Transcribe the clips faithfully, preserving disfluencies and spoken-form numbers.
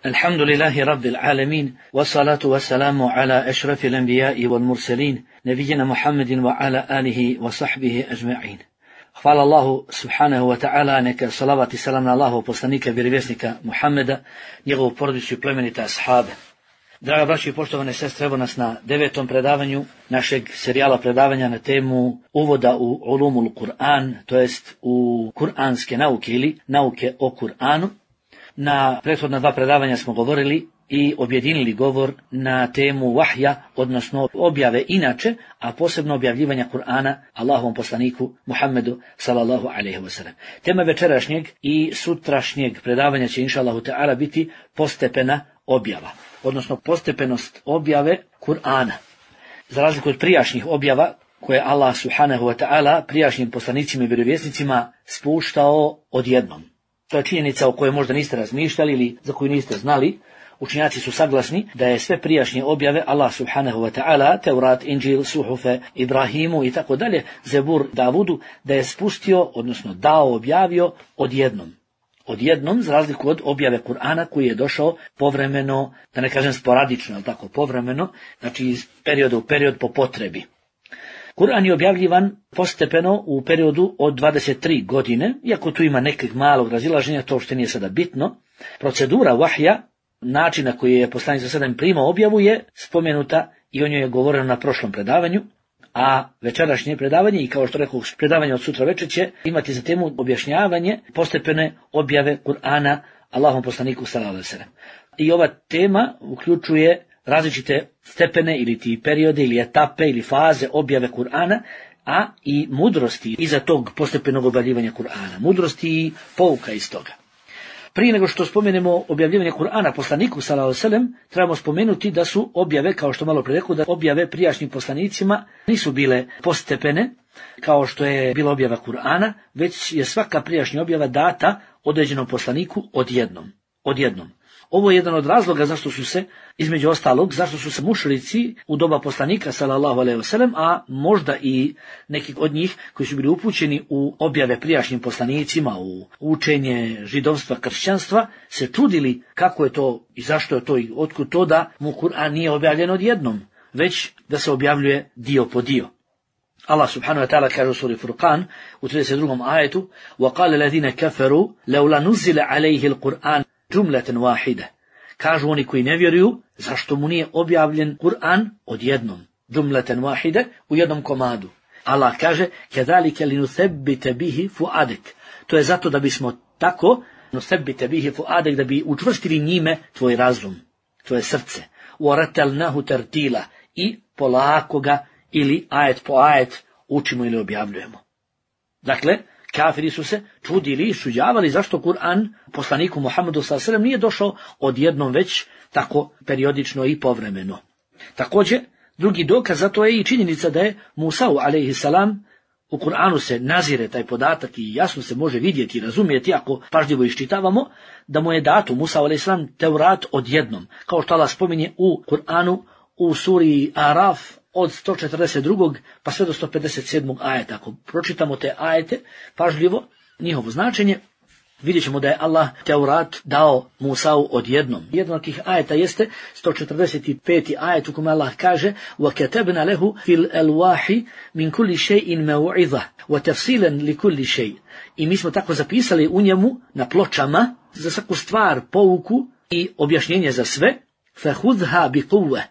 الحمد لله رب العالمين والصلاة والسلام على أشرف الأنبياء والمرسلين نبينا محمد وعلى آله وصحبه أجمعين. Hvala Allahu subhanahu wa ta'ala, neka salavat i salam na Allahu poslanika, vjerovjesnika Muhammeda, njegovu porodicu i plemenite ashabe. Draga braći i poštovane sestre, evo nas na devetom predavanju našeg serijala predavanja na temu uvoda u ulumul Kur'an, to jest u kuranske nauke ili nauke o Kur'anu. Na prethodna dva predavanja smo govorili i objedinili govor na temu vahja, odnosno objave inače, a posebno objavljivanja Kur'ana Allahovom poslaniku Muhammedu sallallahu alejhi ve sellem. Tema večerašnjeg i sutrašnjeg predavanja će inšallahu ta'ala biti postepena objava, odnosno postepenost objave Kur'ana. Za razliku od prijašnjih objava koje Allah subhanahu wa ta'ala prijašnjim poslanicima i vjerovjesnicima spuštao odjednom. To je činjenica o kojoj možda niste razmišljali ili za koju niste znali. Učenjaci su saglasni da je sve prijašnje objave Allah subhanahu wa ta'ala, Teurat, Inđil, Suhufe, Ibrahimu i tako dalje, Zebur, Davudu, da je spustio, odnosno dao, objavio odjednom. Odjednom, za razliku od objave Kur'ana koji je došao povremeno, da ne kažem sporadično, ali tako povremeno, znači iz perioda u period po potrebi. Kur'an je objavljivan postepeno u periodu od dvadeset tri godine, iako tu ima nekih malog razilaženja, to što nije sada bitno. Procedura vahja, način na koji je poslanik sallallahu alejhi ve sellem primao objavu, je spomenuta i o njoj je govoreno na prošlom predavanju, a večerašnje predavanje, i kao što rekao, predavanje od sutra večer će imati za temu objašnjavanje postepene objave Kur'ana Allahom poslaniku sallallahu alejhi ve sellem. I ova tema uključuje različite stepene ili ti periode ili etape ili faze objave Kur'ana, a i mudrosti iza tog postepenog objavljivanja Kur'ana, mudrosti i pouka iz toga. Prije nego što spomenemo objavljivanje Kur'ana poslaniku sallallahu alejhi ve sellem, trebamo spomenuti da su objave, kao što malo pre rekao, da objave prijašnjim poslanicima nisu bile postepene, kao što je bila objava Kur'ana, već je svaka prijašnja objava data određenom poslaniku odjednom. Odjednom. Ovo je jedan od razloga zašto su se, između ostalog, zašto su se mušrici u doba poslanika sallallahu alejhi ve sellem, a možda i neki od njih koji su bili upućeni u objave prijašnjim poslanicima, u učenje židovstva, kršćanstva, se čudili kako je to i zašto je to i otkud to da mu Kur'an nije objavljen odjednom, već da se objavljuje dio po dio. Allah subhanahu wa ta'ala kaže u suri Furqan u trideset drugom ajetu: وَقَالَ الَّذِينَ كَفَرُوا لَوْلَا نُزِّلَ عَلَيْهِ الْقُرْآنُ džumleten wahide. Kažu oni koji ne vjeruju, zašto mu nije objavljen Kur'an odjednom, džumleten wahide, u jednom komadu. Allah kaže: كَذَلِكَ لِنُثَبِّتَ بِهِ فُؤَادَكَ. To je zato da bismo tako, nusebbite bihi fuadek, da bi učvrstili njime tvoj razum, tvoje srce. وَرَتَلْنَهُ تَرْتِيلًا. I polako ga ili ajet po ajet učimo ili objavljujemo. Dakle, kafiri su se čudili i suđavali zašto Kur'an poslaniku Muhammedu sallallahu alejhi ve sellem nije došao odjednom, već tako periodično i povremeno. Također, drugi dokaz za to je i činjenica da je Musa alejhi salam, u Kur'anu se nazire taj podatak i jasno se može vidjeti i razumjeti ako pažljivo iščitavamo, da mu je dato Musa alejhi salam Teurat odjednom, kao što Allah spominje u Kur'anu u suri Araf od sto četrdeset drugog pa sve do sto pedeset sedmog ajeta. Ako pročitamo te ajete pažljivo, njihovo značenje, vidjet ćemo da je Allah Teurat dao Musau odjednom. Jedan od tih ajeta jeste sto četrdeset peti ajet u kome Allah kaže: وَكَتَبْنَا لَهُ فِي الْأَلْوَاحِ مِنْ كُلِّ شَيْءٍ مَوْعِظَةً وَتَفْصِيلًا لِكُلِّ شَيْءٍ. I mi smo tako zapisali u njemu na pločama za svaku stvar pouku i objašnjenje za sve. فَخُذْهَا بِقُوَّةٍ.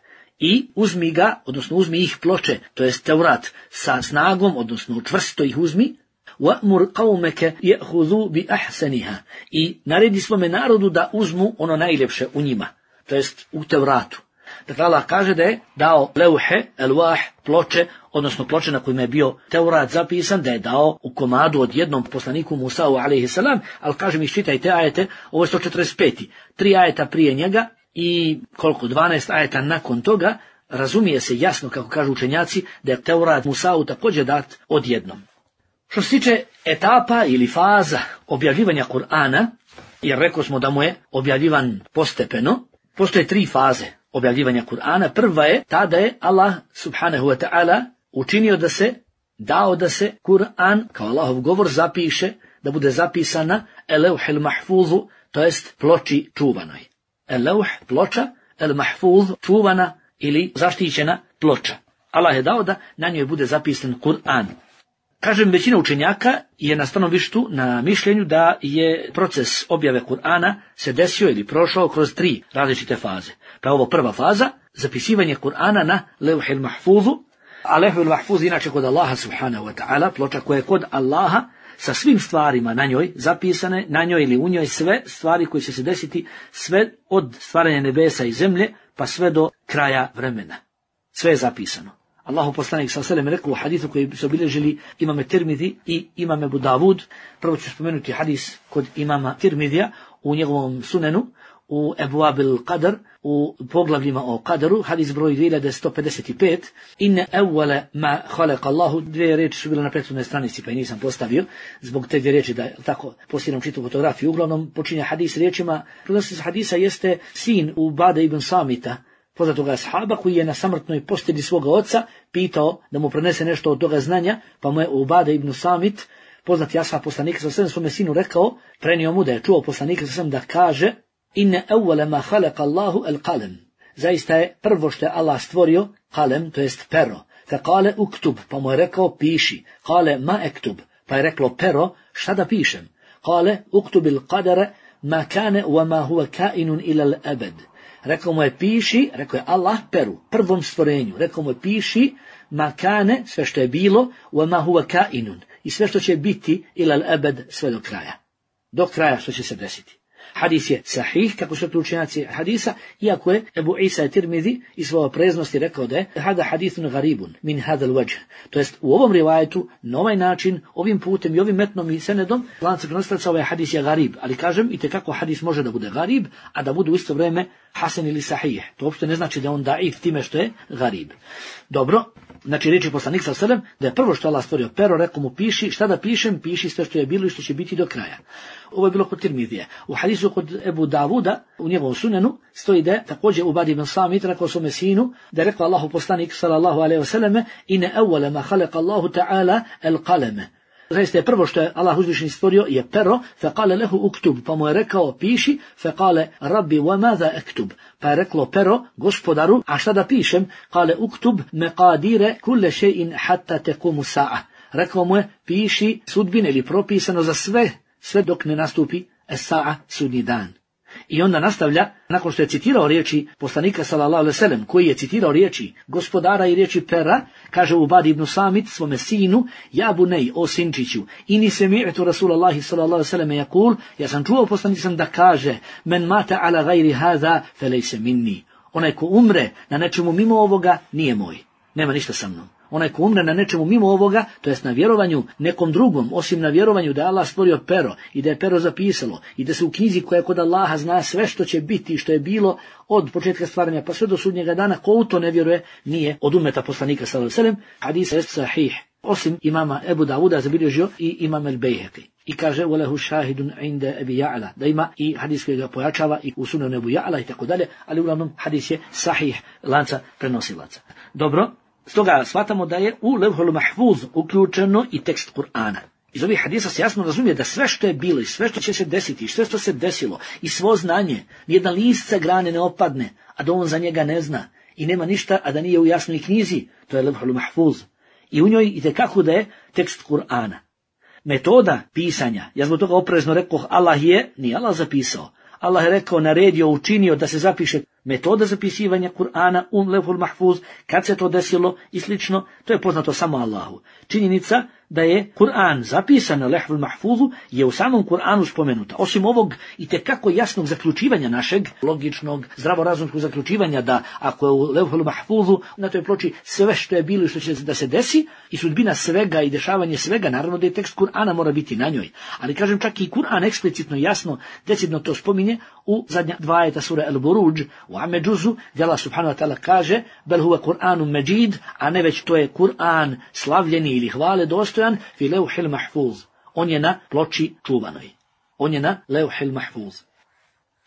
I uzmi ga, odnosno uzmi ih ploče, to jest Teurat, sa snagom, odnosno čvrsto ih uzmi. وَأْمُرْ قَوْمَكَ يَأْخُذُوا بِأَحْسَنِهَا. I naredi svome narodu da uzmu ono najljepše u njima, to jest u Teuratu. Dakle, Allah kaže da je dao leuhe, elwah, ploče, odnosno ploče na kojima je bio Teurat zapisan, da je dao u komadu odjednom poslaniku Musau alejhi salam, ali kažem, iščitajte ajete, ovo je sto četrdeset peti. Tri ajeta prije njega i koliko, dvanaest ajeta nakon toga, razumije se jasno, kako kažu učenjaci, da je Teurat Musau također dat odjednom. Što se tiče etapa ili faza objavljivanja Kur'ana, jer rekao smo da mu je objavljivan postepeno, postoje tri faze objavljivanja Kur'ana. Prva je ta da je Allah subhanahu wa ta'ala učinio da se, dao da se Kur'an kao Allahov govor zapiše, da bude zapisana eleuhil mahfuzu, to jest ploči čuvanoj. el-leuh, ploča, el-mahfuz, čuvana ili zaštićena ploča. Allah je dao da na njoj bude zapisan Kur'an. Kažem, većina učenjaka je na stanovištu na mišljenju da je proces objave Kur'ana se desio ili prošao kroz tri različite faze. Pa ovo prva faza, zapisivanje Kur'ana na leuhil mahfuzu, a leuhil mahfuz inače kod Allaha subhanahu wa ta'ala, ploča koja je kod Allaha sa svim stvarima na njoj zapisane, na njoj ili u njoj sve stvari koje će se desiti, sve od stvaranja nebesa i zemlje pa sve do kraja vremena. Sve je zapisano. Allahu poslanik sallallahu alejhi ve sellem rekao u hadisu koji su obilježili imame Tirmidhi i imame Abu Davud. Prvo ću spomenuti hadis kod imama Tirmidhija u njegovom sunenu, u Ebuabil Qadr, u poglavljima o Qadaru, hadis broj dvije hiljade sto pedeset pet. Inne evvele ma khalaqa Allahu, dvije riječi su bile na prethodnoj stranici pa i nisam postavio, zbog te dvije riječi da tako postiram čitu fotografiju. Uglavnom počinje hadis riječima, prenosioc hadisa jeste sin Ubade ibn Samita, poznatoga ashaba koji je na samrtnoj postelji svoga oca pitao da mu prenese nešto od toga znanja, pa mu je Ubade ibn Samit, poznati ashab poslanika sallallahu alejhi ve sellem, svome sinu rekao, prenio mu da je čuo poslanika sallallahu alejhi ve sellem da kaže: Inne evvele ma khalaqa Allahu al-qalam. Zaista je prvo što je Allah stvorio qalem, to jest pero. Fa kale uktub, pa mu je rekao piši. Kale ma ektub, pa je reklo pero, šta da pišem? Kale uktubil qadara ma kane wa ma huwa kainun ila al-abad. Rekao mu je piši, rekao je Allah peru, prvom stvorenju. Rekao mu je piši ma kane, sve što je bilo, wa ma huwa kainun, i sve što će biti ila al-abad, sve do kraja. Do kraja što će se desiti. Hadis je sahih, kako su to učenjaci hadisa, iako je Ebu Isa Tirmidhi iz svoje preznosti rekao da je hada hadithun garibun min hadal wajh. To jest u ovom rivajetu, na ovaj način, ovim putem i ovim metnom i senedom, lanac prenosilaca ovaj hadis je garib, ali kažem i tekako hadis može da bude garib, a da bude u isto vrijeme hasan ili sahih. To uopšte ne znači da on daif time što je garib. Dobro. Znači riječi poslanik sallallahu alejhi ve sellem da je prvo što Allah stvorio pero, rekao mu piši, šta da pišem, piši sve što je bilo i što će biti do kraja. Ovo je bilo kod Tirmidhije. U hadisu kod Ebu Davuda, u njegovom sunenu, stoji da je također Ubadi ibn Samit rekao svome sinu, da je rekao Allahu poslanik sallallahu alejhi ve sellem: Inne evvele ma khalaqa Allahu ta'ala al-qalama. Zaista je prvo što je Allah uzvišeni stvorio je pero, fa kale lehu uktub, pa mu je rekao piši, fa kale rabbi wa madha aktub, pa je reklo pero, gospodaru, a šta da pišem? Kale uktub meqadire kulle shay'in hatta tequmu sa'a. Rekao mu je piši sudbine ili propisano za sve, sve dok ne nastupi es-sa'a, sudnji dan. I onda nastavlja, nakon što je citirao riječi poslanika sallallahu alejhi ve sellem, koji je citirao riječi gospodara i riječi pera, kaže Ubadi ibn Samit svome sinu: Ja bunej, o sinčiću, ini semi'tu Rasulallahi sallallahu alejhi ve sellem yakul, ja sam čuo poslanika da kaže: Men mata ala gajri hadha felejse minni. Onaj ko umre na nečemu mimo ovoga nije moj, nema ništa sa mnom. Onaj ko umre na nečemu mimo ovoga, to jest na vjerovanju nekom drugom, osim na vjerovanju da je Allah stvorio pero i da je pero zapisalo i da se u knjizi koja je kod Allaha zna sve što će biti i što je bilo od početka stvaranja pa sve do sudnjega dana, ko u to ne vjeruje, nije od ummeta poslanika sallallahu alejhi ve sellem. Hadis je sahih. Osim imama Ebu Davuda zabilježio i imam el-Bejhaqi. I kaže ulehu šahidun inda Ebi Ja'la, da ima i hadis koji ga pojačava i u sunanu Ebu Ja'la i tako dalje, ali uglavnom hadis je sahih lanca prenosilaca. Dobro. Stoga shvatamo da je u levhul mahfuz uključeno i tekst Kur'ana. Iz ovih hadisa se jasno razumije da sve što je bilo i sve što će se desiti i sve što se desilo i svo znanje, nijedan list sa grane ne opadne, a da on za njega ne zna i nema ništa, a da nije u jasnoj knjizi, to je levhul mahfuz. I u njoj itekako da je tekst Kur'ana. Metoda pisanja, ja zbog toga oprezno rekao, Allah je, nije Allah zapisao. Allah je rekao, naredio, učinio da se zapiše metoda zapisivanja Kur'ana u levhul mahfuz, kad se to desilo i slično, to je poznato samo Allahu. Činjenica da je Kur'an zapisan na levhul mahfuzu je u samom Kur'anu spomenuta. Osim ovog i tekako jasnog zaključivanja našeg, logičnog, zdravorazumskog zaključivanja da ako je u levhul mahfuzu na toj ploči sve što je bilo i što će da se desi i sudbina svega i dešavanje svega, naravno da je tekst Kur'ana mora biti na njoj. Ali kažem čak i Kur'an eksplicitno jasno, decidno to spominje u zadnja dva ajeta sure Al-Buruđ, u Ameđuzu, gdje Allah subhanahu wa ta'ala kaže: Bel huwa Kur'anun međid, a ne već to je Kur'an slavljeni ili hvale dostojan, fi levhil mahfuz. On je na ploči čuvanoj. On je na levhil mahfuz.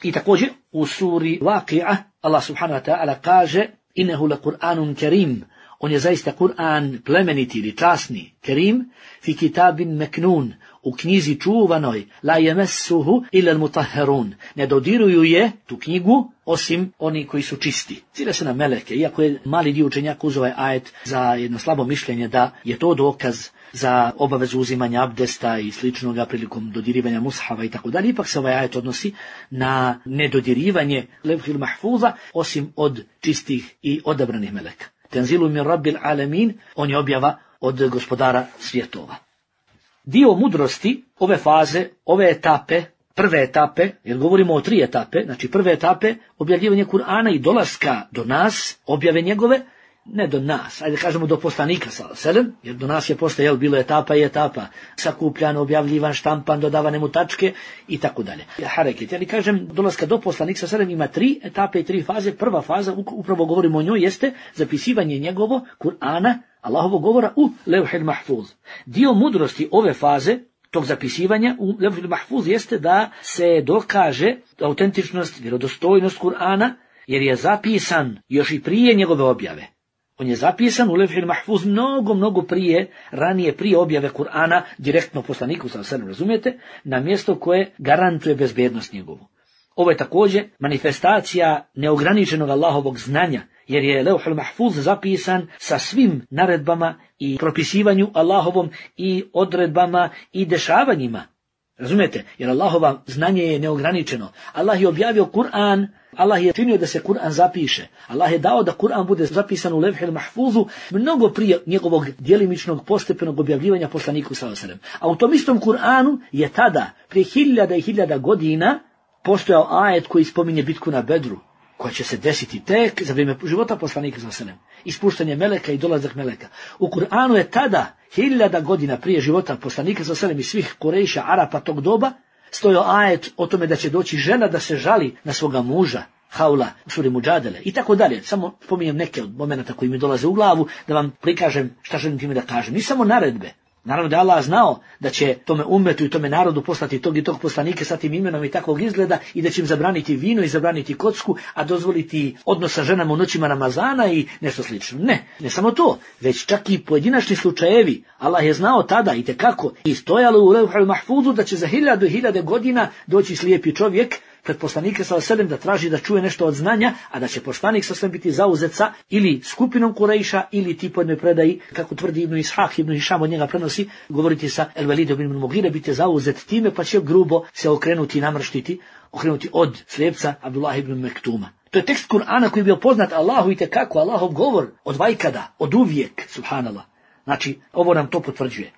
I također u suri Waqi'a Allah subhanahu wa ta'ala kaže: Innehu le Kur'anun kerim. On je zaista Kur'an plemeniti ili časni, kerim, fi kitabin meknun, u knjizi čuvanoj, la yemessuhu illa al-mutahharun. Ne dodiruju je, tu knjigu, osim oni koji su čisti. Cile se na meleke, iako je mali dio učenjaka uzeo ovaj ajet za jedno slabo mišljenje da je to dokaz za obavezu uzimanja abdesta i sličnoga prilikom dodirivanja mushava i tako dalje. Ipak se ovaj ajet odnosi na nedodirivanje levhil mahfuza, osim od čistih i odabranih meleka. Tenzilu min rabbil alamin, on je objava od gospodara svjetova. Dio mudrosti ove faze, ove etape, prve etape, jer govorimo o tri etape, znači prve etape, objavljivanje Kur'ana i dolaska do nas, objave njegove, ne do nas, ajde kažemo do poslanika sallallahu alejhi ve sellem, jer do nas je posle jel bilo etapa i etapa, sakupljan, objavljivan, štampan, dodavane mu tačke i tako dalje. Hareket, ali kažem dolaska do poslanika sallallahu alejhi ve sellem ima tri etape i tri faze. Prva faza, upravo govorimo o njoj, jeste zapisivanje njegovo Kur'ana, Allahovog govora u levhil mahfuz. Dio mudrosti ove faze, tog zapisivanja u levhil mahfuz, jeste da se dokaže autentičnost, vjerodostojnost Kur'ana, jer je zapisan još i prije njegove objave. On je zapisan u levhil mahfuz mnogo, mnogo prije, ranije prije objave Kur'ana, direktno poslaniku, sa sve razumijete, na mjesto koje garantuje bezbednost njegovu. Ovo je također manifestacija neograničenog Allahovog znanja, jer je levhul mahfuz zapisan sa svim naredbama i propisivanju Allahovom i odredbama i dešavanjima. Razumijete? Jer Allahova znanje je neograničeno. Allah je objavio Kur'an, Allah je činio da se Kur'an zapiše. Allah je dao da Kur'an bude zapisan u levhil mahfuzu mnogo prije njegovog djelimičnog postepenog objavljivanja poslaniku sallallahu alejhi ve sellem. A u tom istom Kur'anu je tada, prije hiljada i hiljada godina, postojao ajet koji spominje bitku na Bedru, koja će se desiti tek za vrijeme života poslanika sallallahu alejhi ve sellem. Ispuštanje meleka i dolazak meleka. U Kur'anu je tada, hiljada godina prije života poslanika sallallahu alejhi ve sellem i svih Kurejša, Arapa tog doba, stojao ajet o tome da će doći žena da se žali na svoga muža, Haula, u suri Muđadele i tako dalje. Samo spominjem neke od momenata koji mi dolaze u glavu da vam prikažem šta želim time da kažem. Ni samo naredbe. Naravno da je Allah znao da će tome ummetu i tome narodu poslati tog i tog poslanike sa tim imenom i takvog izgleda i da će im zabraniti vino i zabraniti kocku, a dozvoliti odnos sa ženama u noćima Ramazana i nešto slično. Ne, ne samo to, već čak i pojedinačni slučajevi. Allah je znao tada i tekako i stojalo u levhul mahfuzu da će za hiljadu i hiljade godina doći slijepi čovjek pred poslanike sallallahu alejhi ve sellem da traži da čuje nešto od znanja, a da će poslanik sallallahu alejhi ve sellem biti zauzet sa ili skupinom Kurejša ili ti po jednoj predaji, kako tvrdi Ibn Ishaq, Ibn Hišam od njega prenosi, govoriti sa El Velidom ibn Mugire, biti zauzet time pa će grubo se okrenuti i namrštiti, okrenuti od slijepca Abdullah ibn Mektuma. To je tekst Kur'ana koji je bio poznat Allahu i tekako, Allahov govor od vajkada, od uvijek, subhanallah. Znači, ovo nam to potvrđuje.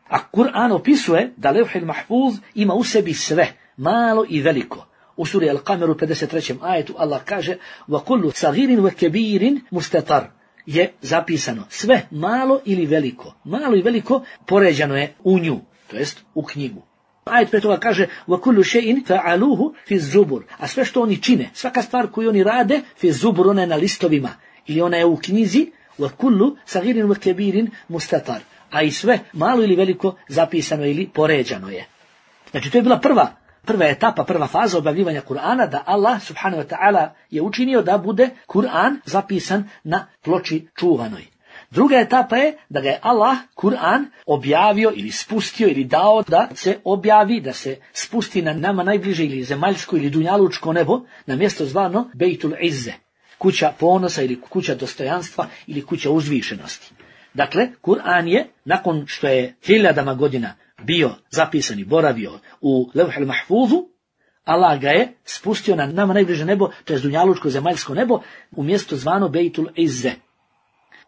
A Kur'an opisuje da levhil mahfuz ima u sebi sve, malo i veliko. U suri Al-Qamer u pedeset trećem ajetu Allah kaže وَكُلُّ صَغِيرٍ وَكَبِيرٍ مُسْتَطَرٍ je zapisano. Sve malo ili veliko. Malo i veliko poređano je u nju, to jest u knjigu. Ajet pre toga kaže وَكُلُّ شَيْءٍ فَعَلُوهُ فِي الزُّبُرِ. A sve što oni čine, svaka stvar koju oni rade, fi zubur, ona je na listovima. Ili ona je u knjizi وَكُلُّ صَغِيرٍ وَكَبِيرٍ مُسْتَطَرٍ. A i sve malo ili veliko zapisano ili poređano je. Znači to je bila prva Prva etapa, prva faza objavljivanja Kur'ana, da Allah subhanahu wa ta'ala je učinio da bude Kur'an zapisan na ploči čuvanoj. Druga etapa je da ga je Allah Kur'an objavio ili spustio ili dao da se objavi, da se spusti na nama najbliže ili zemaljsko ili dunjalučko nebo, na mjesto zvano Bejtul Izze, kuća ponosa ili kuća dostojanstva ili kuća uzvišenosti. Dakle, Kur'an je, nakon što je hiljadama godina bio zapisan i boravio u levhil mahfuzu, Allah ga je spustio na nama najbliže nebo, to je dunjalučko zemaljsko nebo, u mjesto zvano Bejtul Izze.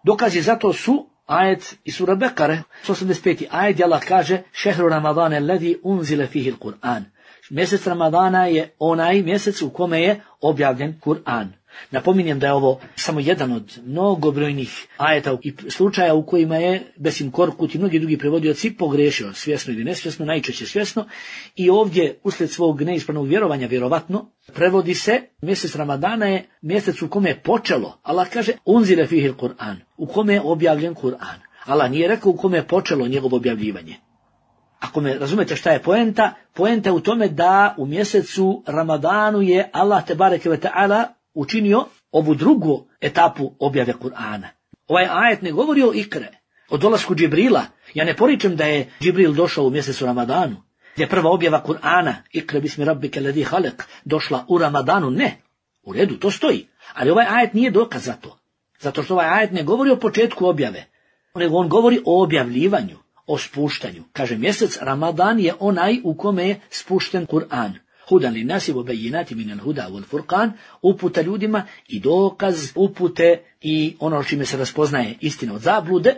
Dokazi za to su ajet iz sura Bekare, osamdeset peti ajet, gdje Allah kaže šehru Ramadane alladhi unzile fihi l-Kur'an. Mjesec Ramadana je onaj mjesec u kome je objavljen Kur'an. Napominjem da je ovo samo jedan od mnogobrojnih ajeta i slučaja u kojima je Besim Korkut i mnogi drugi prevodioci pogrešio, svjesno ili nesvjesno, najčešće svjesno, i ovdje uslijed svog neispravnog vjerovanja vjerovatno prevodi se mjesec Ramadana je mjesec u kome je počelo. Allah kaže unzile fihil Kur'an, u kome je objavljen Kur'an. Allah nije rekao u kome je počelo njegovo objavljivanje. Ako me razumete šta je poenta, poenta je u tome da u mjesecu Ramadanu je Allah tebareke ve ta'ala učinio ovu drugu etapu objave Kur'ana. Ovaj ajet ne govori o ikre, o dolasku Džibrila. Ja ne poričem da je Džibril došao u mjesecu Ramadanu, gdje je prva objava Kur'ana, ikre bismi rabbike ladhi halak, došla u Ramadanu. Ne, u redu, to stoji. Ali ovaj ajet nije dokaz za to. Zato što ovaj ajet ne govori o početku objave, nego on govori o objavljivanju, o spuštanju. Kaže, mjesec Ramadan je onaj u kome je spušten Kur'an. Hudan li nasi wa bayyinati min al-huda wal furqan, uputa ljudima i dokaz upute i ono čime se raspoznaje istina od zablude.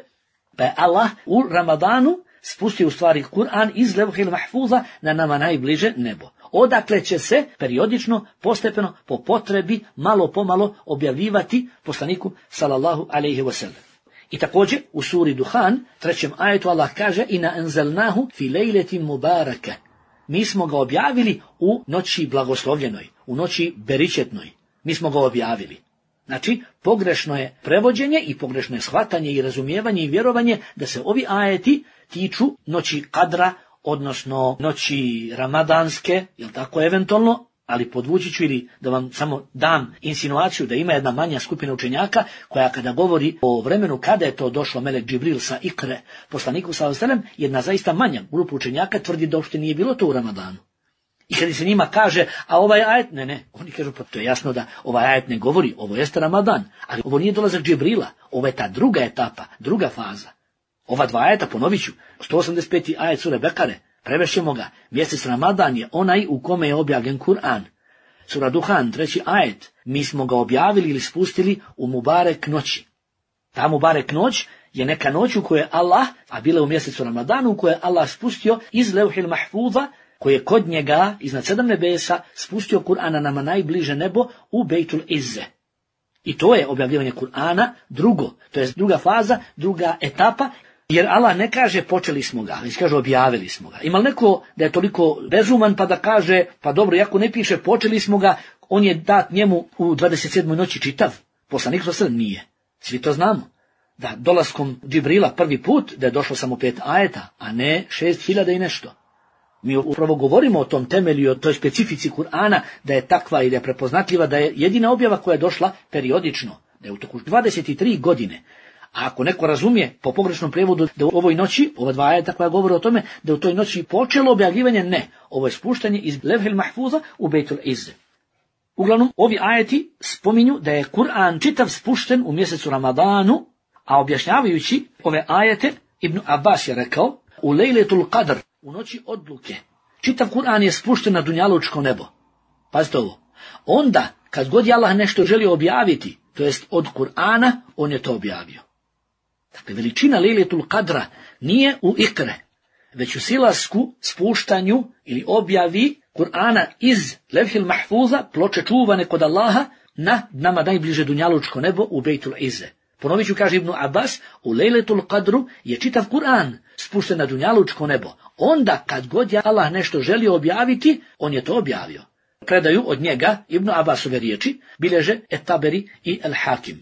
Pa je Allah u Ramadanu spustio u stvari Kur'an iz levhil mahfuza na nama najbliže nebo. Odakle će se periodično, postepeno, po potrebi, malo pomalo objavljivati poslaniku sallallahu alejhi ve sellem. I također u suri Duhan, trećem ajetu, Allah kaže: Ina anzalnahu fi lejletin mubaraka. Mi smo ga objavili u noći blagoslovljenoj, u noći beričetnoj. Mi smo ga objavili. Znači, pogrešno je prevođenje i pogrešno je shvatanje i razumijevanje i vjerovanje da se ovi ajeti tiču noći kadra, odnosno noći ramadanske, jel tako, eventualno, ali podvući ću ili da vam samo dam insinuaciju da ima jedna manja skupina učenjaka koja kada govori o vremenu kada je to došlo Melek Džibril sa ikre poslaniku sallallahu alejhi ve sellem, jedna zaista manja grupa učenjaka tvrdi da uopšte nije bilo to u Ramadanu. I kada se njima kaže, a ovaj ajet, ne, ne, oni kažu, pa to je jasno da ovaj ajet ne govori, ovo jeste Ramadan, ali ovo nije dolazak Džibrila, ovo je ta druga etapa, druga faza. Ova dva ajeta, ponovit ću, sto osamdeset peti ajet sure Bekare, prevešćemo ga, mjesec Ramadan je onaj u kome je objavljen Kur'an. Sura Duhan, treći ajet, mi smo ga objavili ili spustili u Mubarek noći. Ta Mubarek noć je neka noć u kojoj je Allah, a bila u mjesecu Ramadanu, u kojoj je Allah spustio iz levhil mahfuza, koji je kod njega, iznad sedam nebesa, spustio Kur'ana nama najbliže nebo u Bejtul Izze. I to je objavljivanje Kur'ana drugo, to je druga faza, druga etapa, jer Allah ne kaže počeli smo ga, već kaže objavili smo ga. Ima li neko da je toliko bezuman pa da kaže, pa dobro, iako ne piše počeli smo ga, on je dat njemu u dvadeset sedmoj noći čitav? Poslanik sallallahu alejhi ve sellem nije. Svi to znamo. Da dolaskom Džibrila prvi put, da je došlo samo pet ajeta, a ne šest hiljada i nešto. Mi upravo govorimo o tom temelju i o toj specifici Kur'ana, da je takva i da je prepoznatljiva, da je jedina objava koja je došla periodično, da je u toku dvadeset tri godine. A ako neko razumije po pogrešnom prijevodu da u ovoj noći, ova dva ajeta koja govore o tome, da u toj noći počelo objavljivanje, ne. Ovo je spuštanje iz levhil mahfuza u Bejtul Izze. Uglavnom, ovi ajeti spominju da je Kur'an čitav spušten u mjesecu Ramadanu, a objašnjavajući ove ajete, Ibn Abbas je rekao, u lejletul qadr, u noći odluke, čitav Kur'an je spušten na dunjalučko nebo. Pazite ovo. Onda, kad god je Allah nešto želio objaviti, to jest od Kur'ana, on je to objavio. Dakle, veličina lejletul qadra nije u ikre, već u silasku, spuštanju ili objavi Kur'ana iz levhil mahfuza, ploče čuvane kod Allaha, na nama najbliže dunjalučko nebo u Bejtul Izze. Ponovit ću, kaže Ibn Abbas, u lejletul qadru je čitav Kur'an spušten na dunjalučko nebo. Onda, kad god je Allah nešto želio objaviti, on je to objavio. Predaju od njega Ibn Abbasove riječi bilježe Et-Taberi i El-Hakim.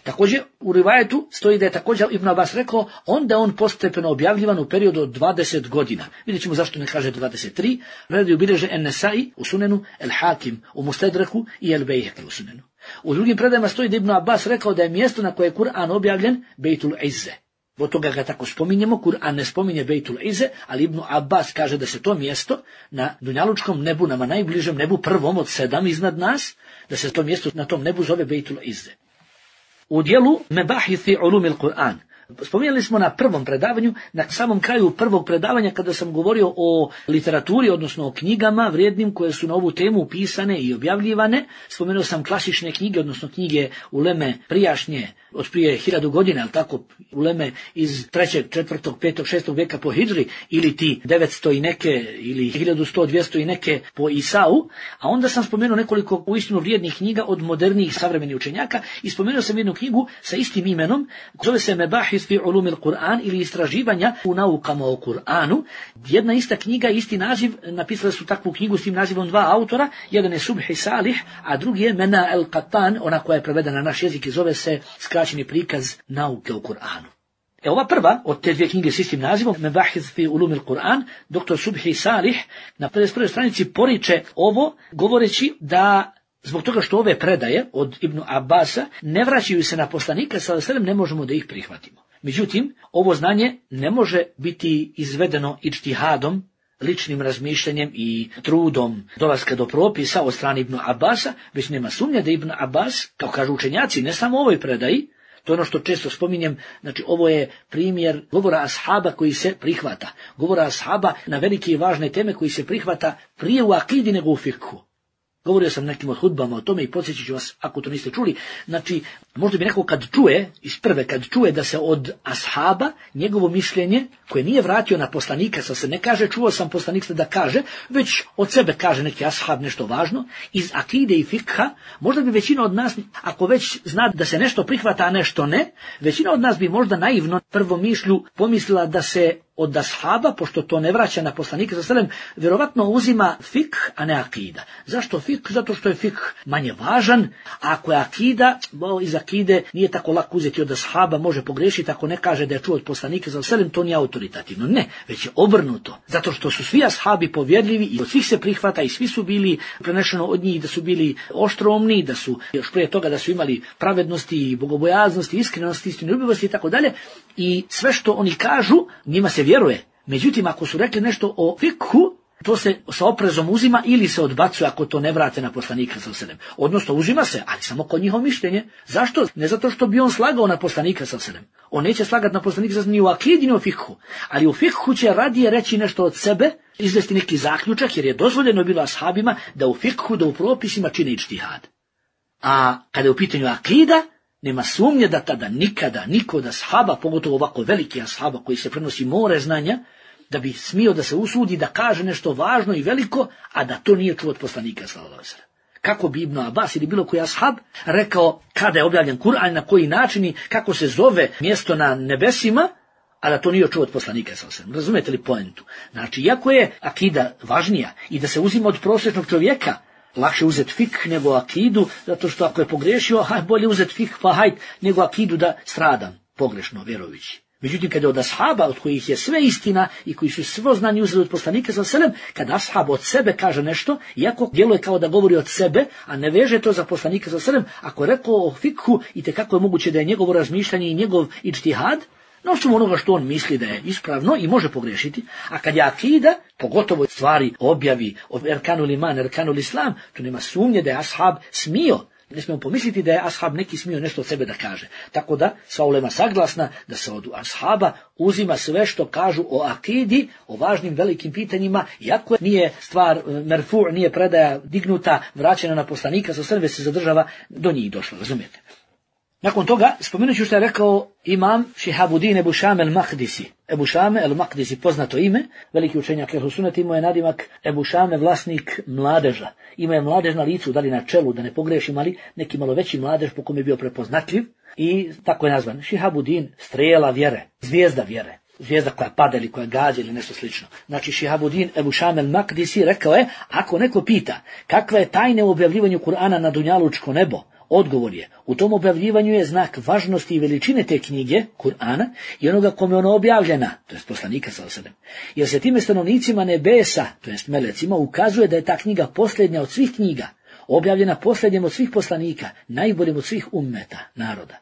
Također u rivajetu stoji da je također Ibn Abbas rekao, onda on postepeno objavljivan u periodu od dvadeset godina. Vidjet ćemo zašto ne kaže dvadeset tri. Predaju bilježe En-Nesai u Sunenu, El-Hakim u Mustedreku i El-Bejheki u Sunenu. U drugim predajama stoji da Ibn Abbas rekao da je mjesto na koje je Kur'an objavljen Bejtul Izze. Od toga ga tako spominjemo, Kur'an ne spominje Bejtul Izze, ali Ibn Abbas kaže da se to mjesto na dunjalučkom nebu, nama najbližem nebu, prvom od sedam iznad nas, da se to mjesto na tom nebu zove Bejtul Izze. U dijelu Mebahithi ulumil Kur'an, spominjali smo na prvom predavanju, na samom kraju prvog predavanja kada sam govorio o literaturi, odnosno o knjigama vrijednim koje su na ovu temu pisane i objavljivane, spomenuo sam klasične knjige, odnosno knjige uleme prijašnje, od prije hiljadu godina, ali tako, uleme iz trećeg, četvrtog, petog, šestog vijeka po Hidžri, ili ti devetsto i neke, ili hiljadu sto, dvjesto i neke po Isau, a onda sam spomenuo nekoliko uistinu vrijednih knjiga od modernijih savremenih učenjaka i spomenuo sam jednu knjigu sa istim imenom, zove se Mebahis fi ulumil Kur'an ili istraživanja u naukama o Kur'anu. Jedna ista knjiga, isti naziv, napisali su takvu knjigu s tim nazivom dva autora, jedan je Subhi Salih, a drugi je Mena el-Qattan, ona koja je prevedena na naš jezik i zove se skraćeni prikaz nauke o Kur'anu. E ova prva od te dvije knjige s istim nazivom, Mebahis fi ulumil Kur'an, doktor Subhi Salih na pedeset prvoj stranici poriče ovo, govoreći da Zbog toga što ove predaje od Ibn Abasa ne vraćaju se na poslanika sallallahu alejhi ve sellem, ne možemo da ih prihvatimo. Međutim, ovo znanje ne može biti izvedeno ijtihadom, ličnim razmišljanjem i trudom dolaska do propisa od strane Ibn Abasa, već nema sumnja da Ibn Abbas, kao kažu učenjaci, ne samo u ovoj predaji, to je ono što često spominjem, znači ovo je primjer govora ashaba koji se prihvata. Govora ashaba na velike i važne teme koji se prihvata prije u akidi nego u fikhu. Govorio sam nekim od hudbama o tome i podsjećat ću vas ako to niste čuli. Znači, možda bi neko kad čuje, iz prve kad čuje da se od ashaba njegovo mišljenje, koje nije vratio na poslanika, sa se ne kaže čuo sam poslanika da kaže, već od sebe kaže neki ashab nešto važno, iz akide i fikha, možda bi većina od nas, ako već zna da se nešto prihvata, a nešto ne, većina od nas bi možda naivno prvo mišlju pomislila da se od ashaba, pošto to ne vraća na poslanika sallallahu alejhi ve sellem, vjerovatno uzima fik, a ne akida. Zašto fik? Zato što je fik manje važan, a ako je akida, bo iz akide nije tako lako uzeti od ashaba, može pogrešiti ako ne kaže da je čuo od poslanika sallallahu alejhi ve sellem, to nije autoritativno. Ne, već je obrnuto. Zato što su svi ashabi povjerljivi i od svih se prihvata i svi su bili prenešeno od njih da su bili oštromni, da su još prije toga da su imali pravednosti i bogobojaznosti, iskrenosti, istinoljubivosti i tako dalje. I sve što oni kažu, njima se vjeruje. Međutim, ako su rekli nešto o fikhu, to se sa oprezom uzima ili se odbacuje ako to ne vrate na poslanika sallallahu alejhi ve sellem. Odnosno uzima se, ali samo kod njihovo mišljenje. Zašto? Ne zato što bi on slagao na poslanika sallallahu alejhi ve sellem. On neće slagati na poslanika sallallahu alejhi ve sellem ni u akidi ni u fikhu, ali u fikhu će radije reći nešto od sebe, izvesti neki zaključak, jer je dozvoljeno bilo ashabima da u fikhu, da u propisima čine ijtihad. A kada je u pitanju akida, nema sumnje da tada nikada niko od ashaba, pogotovo ovako veliki ashaba koji se prenosi more znanja, da bi smio da se usudi da kaže nešto važno i veliko, a da to nije čuo od poslanika sallallahu alejhi ve sellem. Kako bi Ibn Abbas ili bilo koji ashab rekao kada je objavljen Kur'an, na koji način i kako se zove mjesto na nebesima, a da to nije čuo od poslanika sallallahu alejhi ve sellem. Razumete li poentu? Znači, iako je akida važnija i da se uzima od prosječnog čovjeka, lakše uzeti fik nego akidu, zato što ako je pogrešio, haj bolje uzeti fik pa hajt nego akidu da stradam pogrešno vjerujući. Međutim, kada od ashaba, od kojih je sve istina i koji su svo znanje uzeli od poslanika sallallahu alejhi ve sellem, kada ashab od sebe kaže nešto, iako djeluje kao da govori od sebe, a ne veže to za poslanika sallallahu alejhi ve sellem, ako je rekao o fikhu i tekako je moguće da je njegovo razmišljanje i njegov ijtihad, na osnovu onoga što on misli da je ispravno i može pogrešiti, a kad je akida, pogotovo stvari objavi o erkanul iman, erkanul islam, to nema sumnje da je ashab smio. Ne smijemo pomisliti da je ashab neki smio nešto od sebe da kaže. Tako da sva ulema saglasna da se od ashaba uzima sve što kažu o akidi, o važnim velikim pitanjima, iako nije stvar merfu, nije predaja dignuta, vraćena na poslanika, sa sve se zadržava do njih došlo, razumijete? Nakon toga, spomenut ću što je rekao imam Šihabuddin Ebu Šame el-Makdisi. Ebu Šame el-Makdisi, poznato ime, veliki učenjak Ehlu Sunnet, imao je nadimak Ebu Šame, vlasnik mladeža. Ima je mladež na licu, da li na čelu, da ne pogrešim, ali neki malo veći mladež po kome je bio prepoznatljiv i tako je nazvan. Šihabuddin, strela vjere, zvijezda vjere. Zvijezda koja pada ili koja gađa ili nešto slično. Znači Šihabuddin Ebu Šame el-Makdisi rekao je, ako neko pita kakva je tajna u objavljivanju Kur'ana na dunjalučko nebo, odgovor je, u tom objavljivanju je znak važnosti i veličine te knjige, Kur'ana, i onoga kome ona objavljena, to jest poslanika sallallahu alejhi ve sellem. Jer se time stanovnicima nebesa, to jest melecima, ukazuje da je ta knjiga posljednja od svih knjiga, objavljena posljednjem od svih poslanika, najboljim od svih ummeta, naroda.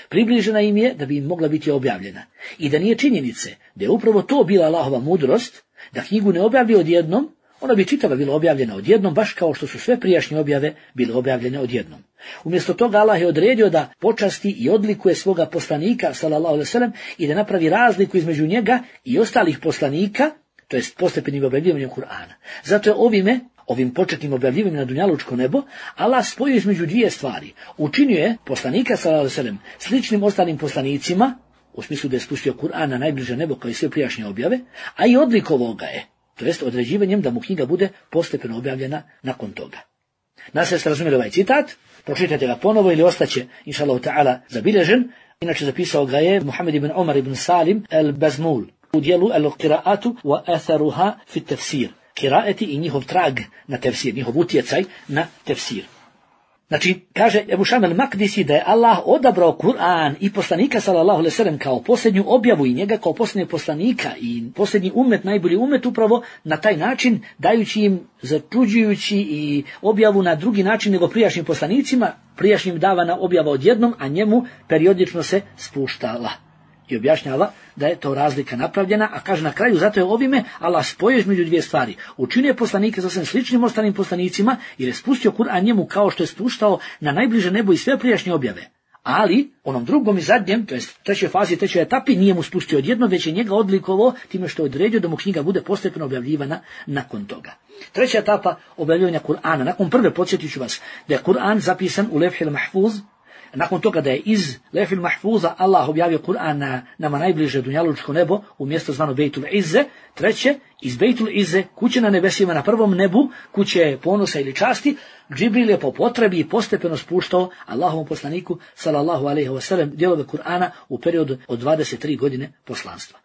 Približena im je da bi im mogla biti objavljena. I da nije činjenice da je upravo to bila Allahova mudrost, da knjigu ne objavlja odjednom, ona bi čitava bila objavljena odjednom, baš kao što su sve prijašnje objave bile objavljene odjednom. Umjesto toga Allah je odredio da počasti i odlikuje svoga poslanika, sallallahu alejhi ve sellem, i da napravi razliku između njega i ostalih poslanika, to jest postepenim objavljivanjem Kur'ana. Zato je ovime, ovim početnim objavljivanjem na dunjalučko nebo, Allah spojio između dvije stvari. Učinio je poslanika, sallallahu alejhi ve sellem, sličnim ostalim poslanicima, u smislu da je spustio Kur'an na najbliže nebo kao i sve prijašnje objave, a i odlikovao ga je, to jest određivanjem da mu knjiga bude postepeno objavljena nakon toga. Nadam se razumjeli ovaj citat, pročitajte ga ponovo ili ostaće, inša Allah ta'ala, zabilježen. Inače zapisao ga je Muhammed ibn Omar ibn Salim el-Bazmul u dijelu el-Qira'atu wa atharuha fi tefsir. Kiraeti i njihov trag na tefsir, njihov utjecaj na tefsir. Znači, kaže Ebu Šam el-Makdisi da je Allah odabrao Kur'an i poslanika sallallahu alejhi ve sellem kao posljednju objavu i njega kao posljednjeg poslanika i posljednji umet, najbolji umet upravo na taj način, dajući im, začuđujući i objavu na drugi način nego prijašnjim poslanicima, prijašnjim davana objava odjednom, a njemu periodično se spuštala. I objašnjava da je to razlika napravljena, a kaže na kraju, zato je ovime Allah spojio između dvije stvari. Učinio poslanike sasvim sličnim ostalim poslanicima jer je spustio Kur'an njemu kao što je spuštao na najbliže nebo i sve prijašnje objave. Ali onom drugom i zadnjem, to jest trećoj fazi, trećoj etapi, nije mu spustio odjedno, već je njega odlikovao time što je odredio da mu knjiga bude postepeno objavljivana nakon toga. Treća etapa objavljivanja Kur'ana. Nakon prve podsjetit ću vas da je Kur'an zapisan u Levhil Mahfuz. Nakon toga da je iz Levhil Mahfuza Allah objavio Kur'an na nama najbliže dunjalučko nebo u mjesto zvano Bejtul Izze. Treće, iz Bejtul Izze, kuće na nebesima na prvom nebu, kuće ponosa ili časti, Džibril je po potrebi i postepeno spuštao Allahovom poslaniku sallallahu alejhi ve sellem dijelove Kur'ana u periodu od dvadeset tri godine poslanstva.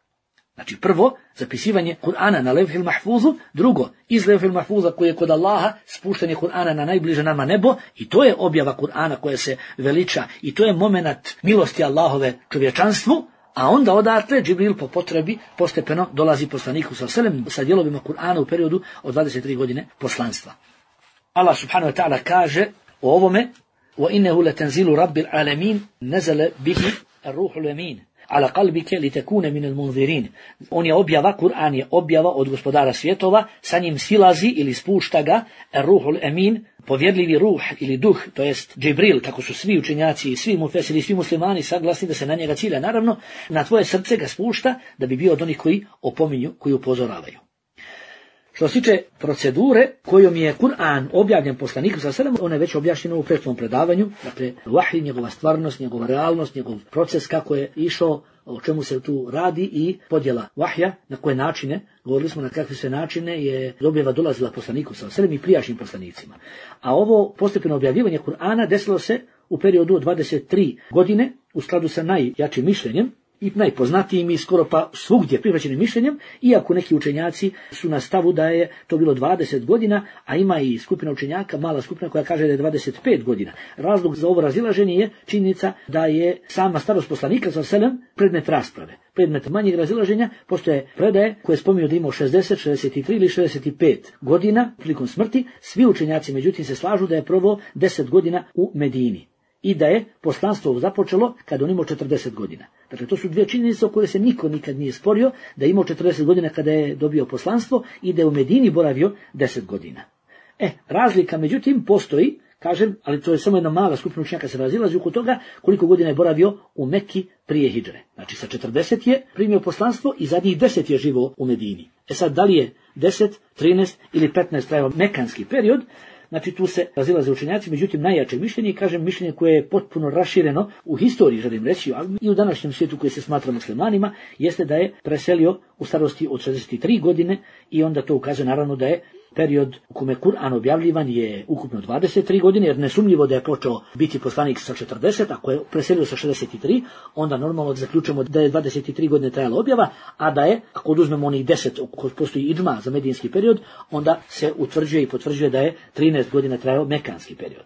Znači prvo, zapisivanje Kur'ana na Levhil Mahfuzu, drugo, iz Levhil Mahfuza koji je kod Allaha, spuštanje Kur'ana na najbliže nama nebo, i to je objava Kur'ana koja se veliča, i to je momenat milosti Allahove čovječanstvu, a onda odatle Džibril po potrebi postepeno dolazi poslaniku sallallahu alejhi ve sellem sa dijelovima Kur'ana u periodu od dvadeset tri godine poslanstva. Allah subhanahu wa ta'ala kaže o ovome: وَإِنَّهُ لَتَنْزِيلُ رَبِّ الْعَالَمِينَ نَزَلَ بِهِ الرُّوحُ الْأَمِينُ ala qalbike li takune min al-munzirin. On je objava, Kur'an je objava od gospodara svjetova, sa njim silazi ili spušta ga Ruhul Amin, povjerljivi ruh ili duh, to jest Džibril, kako su svi učenjaci i svi mufesiri, svi muslimani saglasni da se na njega cilja, naravno, na tvoje srce ga spušta da bi bio od onih koji opominju, koji upozoravaju. Što se tiče procedure kojom je Kur'an objavljen poslaniku sallallahu alejhi ve sellem, ona je već objašnjena u prethodnom predavanju, dakle vahij, njegova stvarnost, njegova realnost, njegov proces kako je išao, o čemu se tu radi i podjela vahja, na koje načine, govorili smo na kakve sve načine je objava dolazila poslaniku sallallahu alejhi ve sellem i prijašnjim poslanicima. A ovo postepeno objavljivanje Kur'ana desilo se u periodu od dvadeset tri godine u skladu sa najjačim mišljenjem i najpoznatijim i skoro pa svugdje prihvaćenim mišljenjem, iako neki učenjaci su na stavu da je to bilo dvadeset godina, a ima i skupina učenjaka, mala skupina koja kaže da je dvadeset pet godina. Razlog za ovo razilaženje je činjenica da je sama starost poslanika sallallahu alejhi ve sellem predmet rasprave. Predmet manjeg razilaženja postoje predaje koje spominju da imao šezdeset, šezdeset tri ili šezdeset pet godina prilikom smrti. Svi učenjaci međutim se slažu da je proveo deset godina u Medini i da je poslanstvo započelo kada on imao četrdeset godina. Dakle, to su dvije činjenice o koje se niko nikad nije sporio, da je imao četrdeset godina kada je dobio poslanstvo i da je u Medini boravio deset godina. E, razlika međutim postoji, kažem, ali to je samo jedna mala skupina učenjaka se razilazi oko toga koliko godina je boravio u Mekki prije hidžre. Znači sa četrdeset je primio poslanstvo i zadnjih deset je živio u Medini. E sad, da li je deset, trinaest ili petnaest trajao mekanski period, znači tu se razilaze učenjaci, međutim najjače mišljenje, kažem mišljenje koje je potpuno rašireno u historiji, želim reći, ali i u današnjem svijetu koji se smatra muslimanima, jeste da je preselio u starosti od šezdeset tri godine i onda to ukazuje naravno da je period u kome Kur'an objavljivan je ukupno dvadeset tri godine, jer nesumnjivo da je počeo biti poslanik sa četrdeset, ako je preselio sa šezdeset tri, onda normalno zaključujemo da je dvadeset tri godine trajala objava, a da je, ako oduzmemo onih deset, ako postoji idžma za medijinski period, onda se utvrđuje i potvrđuje da je trinaest godina trajao mekanski period.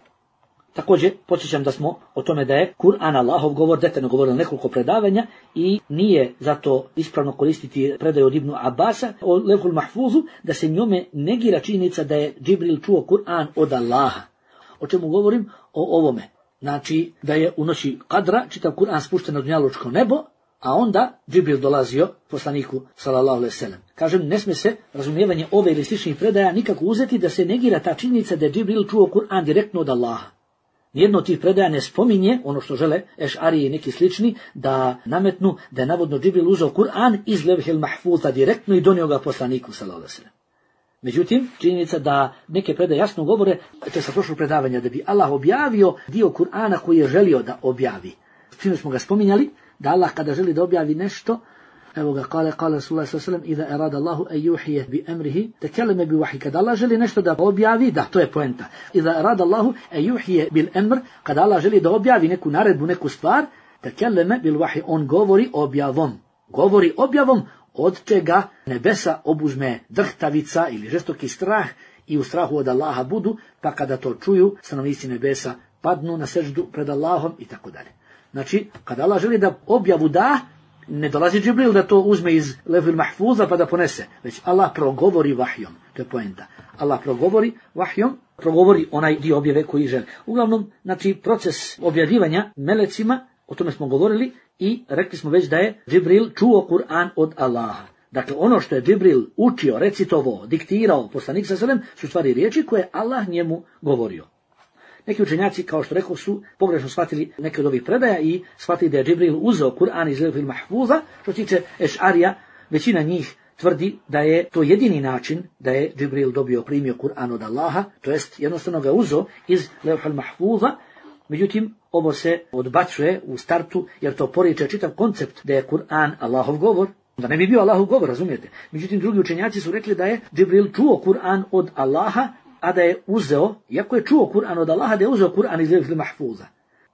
Također, podsjećam da smo o tome da je Kur'an Allahov govor detaljno govorilo nekoliko predavanja i nije zato ispravno koristiti predaju od Ibnu Abasa o Levhul Mahfuzu, da se njome negira činjenica da je Džibril čuo Kur'an od Allaha. O čemu govorim? O ovome. Znači, da je u noći Kadra čitav Kur'an spušten na dunjalučko nebo, a onda Džibril dolazio poslaniku sallallahu alejhi ve sellem. Kažem, ne smije se razumijevanje ove ili sličnih predaja nikako uzeti da se negira ta činjenica da je Džibril čuo Kur'an direktno od Allaha. Nijedno od tih predaja ne spominje ono što žele Eš'ariji i neki slični da nametnu da je navodno Džibril uzeo Kur'an iz Levhil Mahfuza direktno i donio ga poslaniku sallallahu alejhi ve sellem. Međutim, činjenica da neke predaje jasno govore, to je sa prošlog predavanja, da bi Allah objavio dio Kur'ana koji je želio da objavi. Sino smo ga spominjali, da Allah kada želi da objavi nešto, evo ga, kale, kale Rasulullah sallallahu alejhi ve sellem, iza erada Allahu an yuhije bi emrihi, tekelleme bi vahij. Kada Allah želi nešto da objavi, da, to je poenta. Iza erada Allahu an yuhije bil emr, kada Allah želi da objavi neku naredbu, neku stvar, tekelleme bil vahij, on govori objavom. Govori objavom, od čega nebesa obuzme drhtavica ili žestoki strah i u strahu od Allaha budu, pa kada to čuju, stanovnici nebesa padnu na seždu pred Allahom i tako dalje. Znači, kada Allah želi da objavu da, ne dolazi Džibril da to uzme iz levhil mahfuza pa da ponese, već Allah progovori vahjom. To je poenta. Allah progovori vahjom, progovori onaj dio objave koji želi. Uglavnom, znači, proces objavljivanja melecima, o tome smo govorili i rekli smo već da je Džibril čuo Kur'an od Allaha. Dakle, ono što je Džibril učio, recitovao, diktirao poslanik sa selem, su stvari riječi koje Allah njemu govorio. Neki učenjaci, kao što rekao, su pogrešno shvatili neke od ovih predaja i shvatili da je Džibril uzeo Kur'an iz levhil mahfuza. Što se tiče Ešarija, većina njih tvrdi da je to jedini način da je Džibril dobio, primio Kur'an od Allaha, to jest jednostavno ga uzeo iz levhil mahfuza. Međutim, ovo se odbacuje u startu, jer to poriče čitav koncept da je Kur'an Allahov govor, da ne bi bio Allahov govor, razumijete. Međutim, drugi učenjaci su rekli da je Džibril čuo Kur'an od Allaha, a da je uzeo, iako je čuo Kur'an od Allaha, da je uzeo Kur'an iz levhil mahfuza.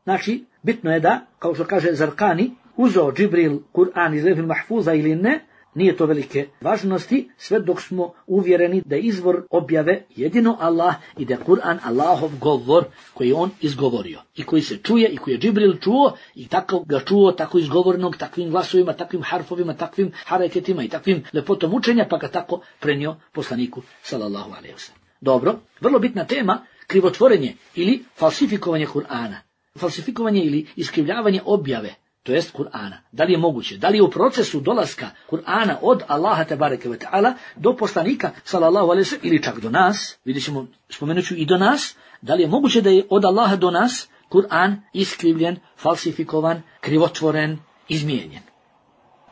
Znači, bitno je da, kao što kaže Zarkani, uzeo Džibril Kur'an iz levhil mahfuza ili ne, nije to velike važnosti, sve dok smo uvjereni da je izvor objave jedino Allah i da je Kur'an Allahov govor koji je on izgovorio i koji se čuje i koji je Džibril čuo i tako ga čuo, tako izgovornog, takvim glasovima, takvim harfovima, takvim hareketima i takvim lepotom učenja, pa ga tako prenio poslaniku sallallahu alejhi ve sellem. Dobro, vrlo bitna tema, krivotvorenje ili falsifikovanje Kur'ana. Falsifikovanje ili iskrivljavanje objave, to jest Kur'ana. Da li je moguće? Da li je u procesu dolaska Kur'ana od Allaha tebareke ve ta'ala do poslanika sallallahu alejhi ve sellem ili čak do nas, vidjet ćemo, spomenut ću i do nas, da li je moguće da je od Allaha do nas Kur'an iskrivljen, falsifikovan, krivotvoren, izmijenjen?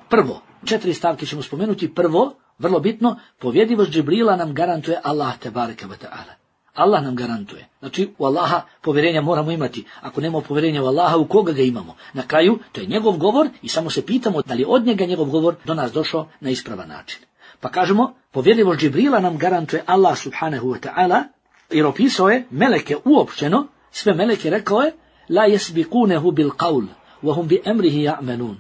Prvo, četiri stavke ćemo spomenuti. Prvo, vrlo bitno, povjedljivost Džibrila nam garantuje Allah tebareke ve ta'ala. Allah nam garantuje. Znači, u Allaha povjerenja moramo imati. Ako nemamo povjerenja u Allaha, u koga ga imamo? Na kraju, to je njegov govor i samo se pitamo da li je od njega njegov govor do nas došao na ispravan način. Pa kažemo, povjedljivost Džibrila nam garantuje Allah subhanahu wa ta'ala, jer opisao je meleke uopšteno, sve meleke rekao je, la yasbiqunehu bil qawl, wa hum bi amrihi ya'malun.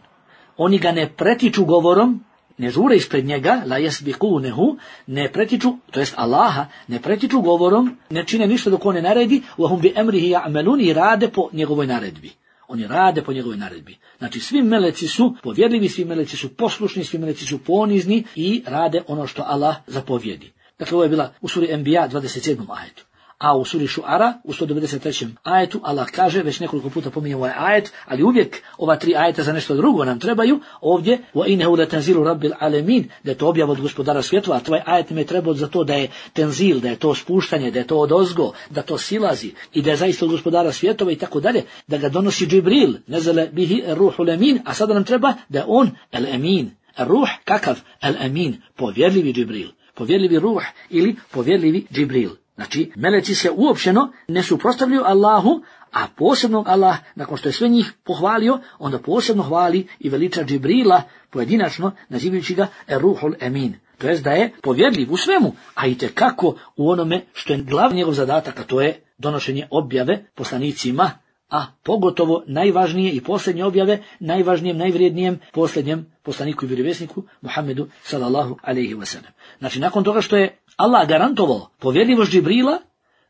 Oni ga ne pretiču govorom, ne žure ispred njega, la yasbiqunehu, ne pretiču, to jest Allaha, ne pretiču govorom, ne čine ništa dok on ne naredi, wa hum bi amrihi ya'malun, i rade po njegovoj naredbi. Oni rade po njegovoj naredbi. Znači, svi meleci su povjerljivi, svi meleci su poslušni, svi meleci su ponizni i rade ono što Allah zapovjedi. Dakle, ovo je bila u suri Enbiya dvadeset sedmom ajetu. A u suri Šuara, u sto devedeset trećem ajetu, Allah kaže, već nekoliko puta pominje ovaj ajet, ali uvijek ova tri ajeta za nešto drugo nam trebaju, ovdje, وَإِنَّهُ لَتَنْزِيلُ رَبِّ الْعَالَمِينَ, da je to objava od gospodara svjetova, a tvoj ajet nam je trebao za to da je tenzil, da je to spuštanje, da je to odozgo, da to silazi i da je zaista od gospodara svjetova i tako dalje, da ga donosi Džibril, nezale bihi ruhu lemin, a sada nam treba da je on el-emin. Ruh, kakav? El-emin, povjerljivi Džibril, povjerljivi ruh ili povjerljivi Džibril. Znači, meleci se uopšteno ne suprotstavljaju Allahu, a posebno Allah, nakon što je sve njih pohvalio, onda posebno hvali i veliča Džibrila pojedinačno, nazivajući ga Ruhul Emin. To jest da je povjerljiv u svemu, a i tekako u onome što je glavni njegov zadatak, a to je donošenje objave poslanicima, a pogotovo najvažnije i posljednje objave, najvažnijem, najvrijednijem, posljednjem poslaniku i vjerovjesniku Muhammedu sallallahu alejhi ve sellem. Znači, nakon toga što je Allah garantovao povjerljivost Džibrila,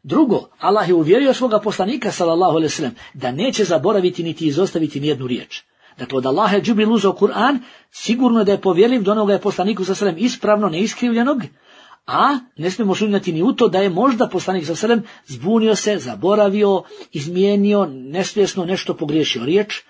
drugo, Allah je uvjerio svoga poslanika sallallahu alejhi ve sellem da neće zaboraviti niti izostaviti nijednu riječ. Dakle, od Allaha je Džibril uzeo Kur'an, sigurno da je povjerljiv, do onoga je poslaniku sallallahu alejhi ve sellem ispravno, neiskrivljenog, a ne smijemo sumnjati ni u to da je možda poslanik sallallahu alejhi ve sellem zbunio se, zaboravio, izmijenio, nesvjesno nešto pogriješio riječ.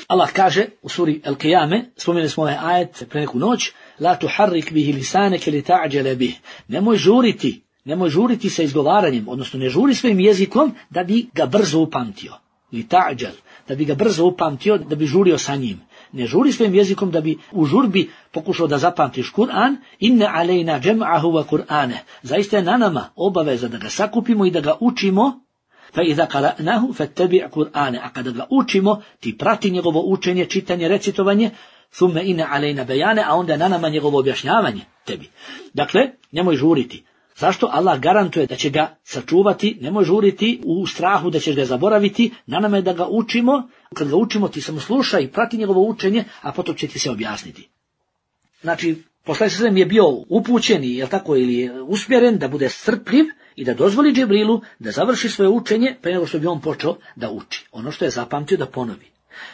Allah kaže u suri El-Qiyame, spomenuli smo ovaj ajet pre neku noć, la tuharrik bihi lisaneke li ta'đele bih. Nemoj žuriti, nemoj žuriti sa izgovaranjem, odnosno ne žuri svojim jezikom da bi ga brzo upamtio. Li ta'đel, da bi ga brzo upamtio, da bi žurio sa njim. Ne žuri svojim jezikom da bi u žurbi pokušao da zapamtiš Kur'an, inne alejna džem'ahu wa Kur'ane. Zaista je na nama obaveza da ga sakupimo i da ga učimo, fa iza qara'nahu fattabi' Kur'ane. A kada ga učimo, ti prati njegovo učenje, čitanje, recitovanje, thumme inne alejna bejane, a onda je na nama njegovo objašnjavanje tebi. Dakle, nemoj žuriti. Zašto? Allah garantuje da će ga sačuvati, nemoj žuriti u strahu da ćeš ga zaboraviti, na nama je da ga učimo, kad ga učimo ti samo slušaj i prati njegovo učenje, a potom će ti se objasniti. Znači, poslanik sallallahu alejhi ve sellem je bio upućen, jel tako, ili usmjeren da bude strpljiv i da dozvoli Džibrilu da završi svoje učenje pre nego što bi on počeo da uči. Ono što je zapamtio da ponovi.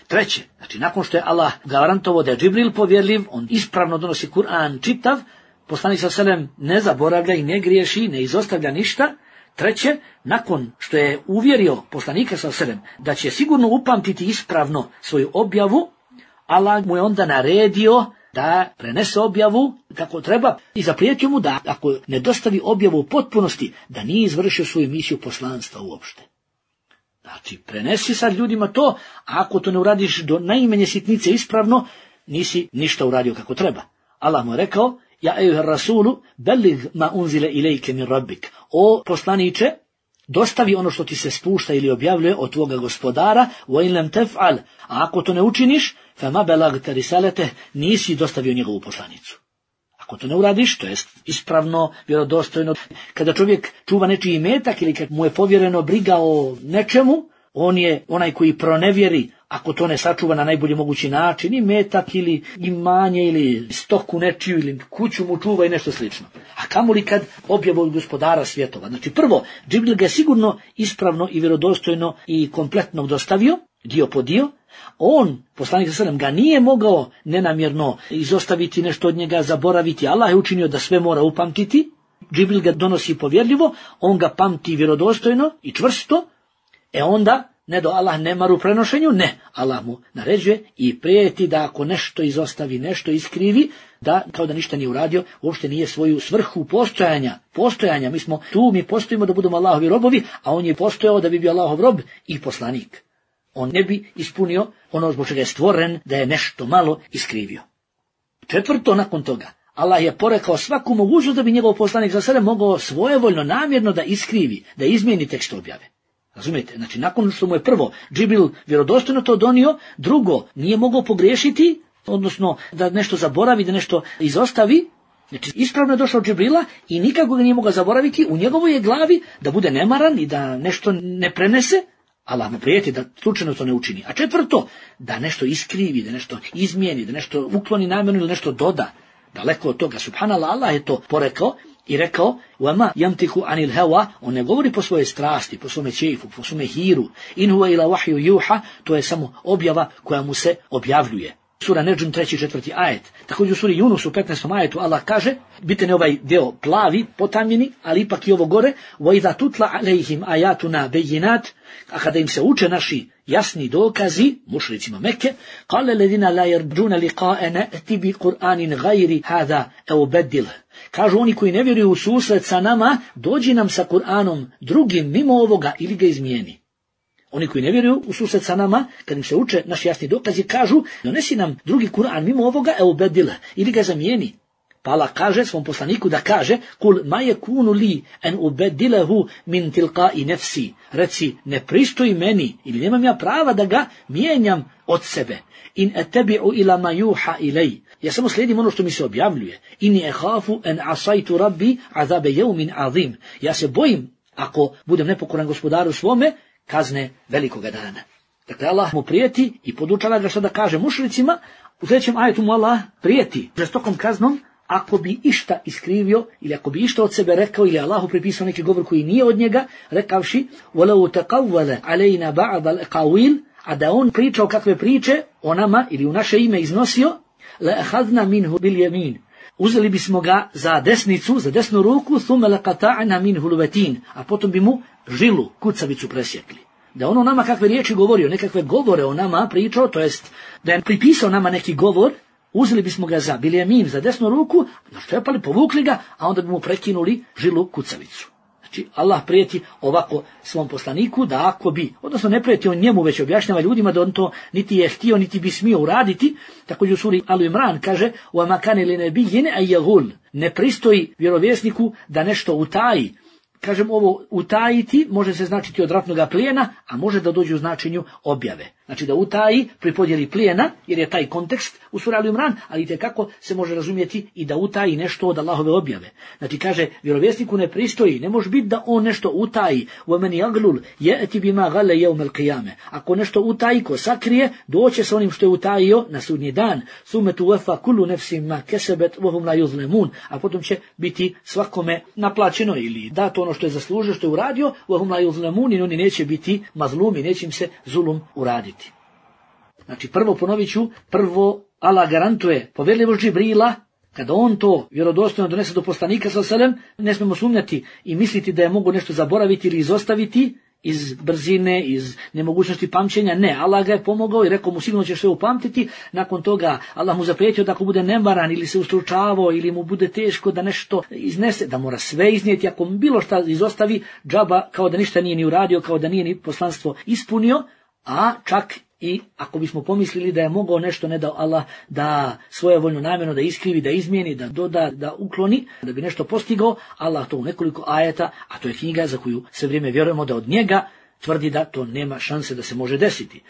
Treće, znači nakon što je Allah garantovao da je Džibril povjerljiv, on ispravno donosi Kur'an čitav, poslanik sallallahu alejhi ve sellem ne zaboravlja i ne griješi, ne izostavlja ništa. Treće, nakon što je uvjerio poslanika sallallahu alejhi ve sellem da će sigurno upamtiti ispravno svoju objavu, Allah mu je onda naredio da prenese objavu kako treba i zaprijetio mu da ako ne dostavi objavu u potpunosti, da nije izvršio svoju misiju poslanstva uopšte. Znači, prenesi sad ljudima to, a ako to ne uradiš do najmanje sitnice ispravno, nisi ništa uradio kako treba. Allah mu je rekao: Ja ejuha rasulu, bellig ma unzile ilejke min rabbik. O poslaniče, dostavi ono što ti se spušta ili objavljuje od tvoga gospodara, wa in lam tef'al, a ako to ne učiniš, fama belagte risalete, nisi dostavio njegovu poslanicu. Ako to ne uradiš, to jest ispravno, vjerodostojno, kada čovjek čuva nečiji imetak ili kad mu je povjereno briga o nečemu, on je onaj koji pronevjeri, ako to ne sačuva na najbolji mogući način, imetak ili imanje ili stoku nečiju ili kuću mu čuva i nešto slično. A kamoli kad objavu od gospodara svjetova. Znači prvo, Džibril ga je sigurno ispravno i vjerodostojno i kompletno dostavio, dio po dio. On, poslanik sallallahu alejhi ve sellem, ga nije mogao nenamjerno izostaviti, nešto od njega zaboraviti. Allah je učinio da sve mora upamtiti. Džibril ga donosi povjerljivo, on ga pamti vjerodostojno i čvrsto. E onda, ne do Allah ne maru prenošenju, ne. Allah mu naređuje i prijeti da ako nešto izostavi, nešto iskrivi, da kao da ništa nije uradio, uopšte nije svoju svrhu postojanja. Postojanja, mi smo tu, mi postojimo da budemo Allahovi robovi, a on je postojao da bi bio Allahov rob i poslanik. On ne bi ispunio ono zbog čega je stvoren, da je nešto malo iskrivio. Četvrto, nakon toga, Allah je porekao svaku mogućnost da bi njegov poslanik za sebe mogao svojevoljno, namjerno da iskrivi, da izmijeni tekst objave. Razumijete? Znači, nakon što mu je prvo Džibril vjerodostojno to donio, drugo, nije mogao pogriješiti, odnosno da nešto zaboravi, da nešto izostavi. Znači, ispravno je došao Džibrila i nikako ga nije mogao zaboraviti, u njegovoj je glavi da bude nemaran i da nešto ne prenese, Allah mu prijeti da slučajno to ne učini. A četvrto, da nešto iskrivi, da nešto izmijeni, da nešto ukloni namjerno ili nešto doda. Daleko od toga, subhanallah, Allah je to porekao i rekao: "Wama yamtiku anil hawa", on ne govori po svojoj strasti, po svome čeifu, po svome hiru. In huwa ila wahyu yuha, to je samo objava koja mu se objavljuje. Sura Nedžm treći i četvrti ajet. Također u suri Yunus u petnaestom ajetu Allah kaže, bitan je ovaj deo plavi, potamljeni, ali ipak i ovo gore: "Wa idha tutla alejhim ayatuna bayinat", a kada im se uče naši jasni dokazi, mušricima Mekke, qala alladhina la yarjuna liqa'ana ati bi Qur'anin ghayri hadha aw badil. Kažu oni koji ne vjeruju u susret sa nama, dođi nam sa Kur'anom drugim mimo ovoga ili ga izmijeni. Oni koji ne vjeruju u susret sa nama, kad im se uče naši jasni dokazi, kažu: donesi nam drugi Kur'an mimo ovoga, evo bedila, ili ga zamijeni. Pa Allah kaže svom poslaniku da kaže: kul ma yakunu li an ubedilahu min tilqa'i nafsi. Reci, ne pristoji meni ili nemam ja prava da ga mijenjam od sebe. In attabi'u ila ma yuha ilay. Ja samo slijedim ono što mi se objavljuje. Inni akhafu an asaitu rabbi azabe yawmin azim. Ja se bojim, ako budem nepokoran gospodaru svome, kazne velikoga dana. Dakle, Allah mu prijeti i podučava ga što da kaže mušricima. U sljedećem ajetu mu Allah prijeti žestokom kaznom ako bi išta iskrivio ili ako bi išta od sebe rekao ili Allahu pripisao neki govor koji nije od njega, rekavši: "Walau taqawwala alayna ba'd al-aqawil", a da on pričao kakve priče o nama ili u naše ime iznosio, la akhadna minhu bil yamin. Uzeli bismo ga za desnicu, za desnu ruku, thumma laqata'na minhu al-watin, a potom bi mu žilu, kucavicu presjekli. Da ono nama kakve riječi govorio, nekakve govore o nama pričao, to jest da je pripisao nama neki govor, uzeli bismo ga za biljemin, za desnu ruku, naščepali, povukli ga, a onda bi mu prekinuli žilu, kucavicu. Znači, Allah prijeti ovako svom poslaniku da ako bi, odnosno ne prijeti on njemu, već objašnjava ljudima da on to niti je htio, niti bi smio uraditi. Također u suri Al Imran kaže: "Wa makane li nabiyyin ay yaghul", ne pristoji vjerovjesniku da nešto utaji. Kažem, ovo utajiti može se značiti od ratnoga plijena, a može da dođe u značenju objave. Znači da utaji pri podjeli plijena, jer je taj kontekst u suri Al Imran, ali itekako se može razumjeti i da utaji nešto od Allahove objave. Znači kaže, vjerovjesniku ne pristoji, ne može biti da on nešto utaji. وَمَنْ يَغْلُلْ يَأْتِ بِمَا غَلَ يَوْمَ الْقِيَامَةِ. Ako nešto utaji, ko sakrije, doće sa onim što je utajio na sudnji dan. ثُمَّ تُوَفَّى كُلُّ نَفْسٍ مَا كَسَبَتْ وَهُمْ لَا يُظْلَمُونَ. A potom će biti svakome naplaćeno ili dato ono ono što je zaslužio, što je uradio, وَهُمْ لَا يُظْلَمُونَ, oni neće biti mazlumi, neće im se zulum uraditi. Znači, prvo ponovit ću, prvo Allah garantuje povjerljivost Džibrila, kada on to vjerodostojno donese do poslanika sallallahu alejhi ve sellem, ne smemo sumnjati i misliti da je mogu nešto zaboraviti ili izostaviti iz brzine, iz nemogućnosti pamćenja. Ne, Allah ga je pomogao i rekao mu sigurno ćeš sve upamtiti. Nakon toga Allah mu zaprijetio da ako bude nemaran ili se ustručavao ili mu bude teško da nešto iznese, da mora sve iznijeti. Ako bilo šta izostavi, džaba kao da ništa nije ni uradio, kao da nije ni poslanstvo ispunio, a čak i ako bismo pomislili da je mogao nešto, ne dao Allah, da svojevoljno namjerno da iskrivi, da izmijeni, da doda, da ukloni, da bi nešto postigao, Allah to u nekoliko ajeta, a to je knjiga za koju sve vrijeme vjerujemo da od njega tvrdi da to nema šanse da se može desiti.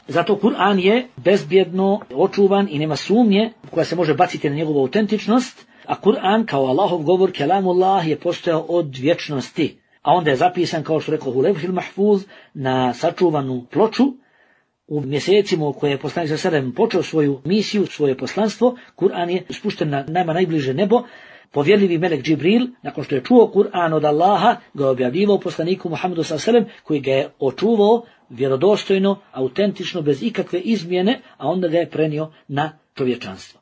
Zato Kur'an je bezbjedno očuvan i nema sumnje koja se može baciti na njegovu autentičnost, a Kur'an kao Allahov govor, kelamullah, je postojao od vječnosti, a onda je zapisan, kao što rekao, u levhil mahfuz, na sačuvanu ploču. U mjesecima u koje je poslanik sallallahu alejhi ve sellem počeo svoju misiju, svoje poslanstvo, Kur'an je spušten na nama najbliže nebo. Povjerljivi melek Džibril, nakon što je čuo Kur'an od Allaha, ga je objavljivao poslaniku Muhammedu sallallahu alejhi ve sellem, koji ga je očuvao vjerodostojno, autentično, bez ikakve izmjene, a onda ga je prenio na čovječanstvo.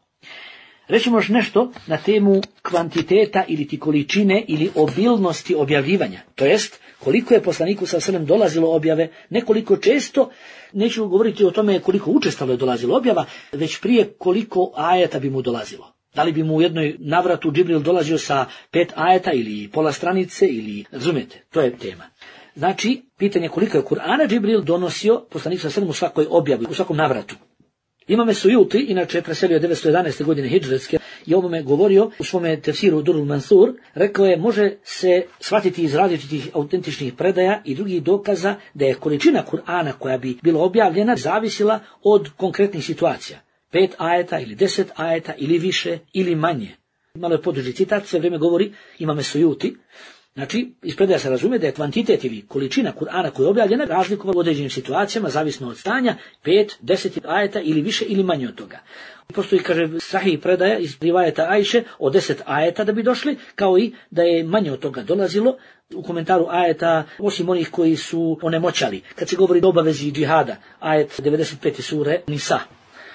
Rećemo još nešto na temu kvantiteta ili ti količine ili obilnosti objavljivanja, to jest koliko je poslaniku sallallahu alejhi ve sellem dolazilo objave, nekoliko često, neću govoriti o tome koliko učestalo je dolazilo objava, već prije koliko ajeta bi mu dolazilo. Da li bi mu u jednoj navratu Džibril dolazio sa pet ajeta ili pola stranice ili, razumijete, to je tema. Znači, pitanje koliko je Kur'ana Džibril donosio poslaniku sallallahu alejhi ve sellem u svakoj objavi, u svakom navratu. Imam Sujuti, inače je preselio devetsto jedanaeste. godine hidžretske, i o ovome govorio u svome tefsiru Durul Mansur, rekao je, može se shvatiti iz različitih autentičnih predaja i drugih dokaza da je količina Kur'ana koja bi bila objavljena zavisila od konkretnih situacija. Pet ajeta ili deset ajeta ili više ili manje. Malo je poduži citat, sve vrijeme govori Imam Sujuti. Znači, iz predaja se razume da je kvantitet ili količina Kur'ana koja je objavljena razlikovala u određenim situacijama, zavisno od stanja, pet, deset ajeta ili više ili manje od toga. Postoji, kaže, sahih predaja iz rivajeta Ajše od deset ajeta da bi došli, kao i da je manje od toga dolazilo. U komentaru ajeta, osim onih koji su onemoćali, kad se govori o obavezi džihada, ajet devedeset pete sure Nisa.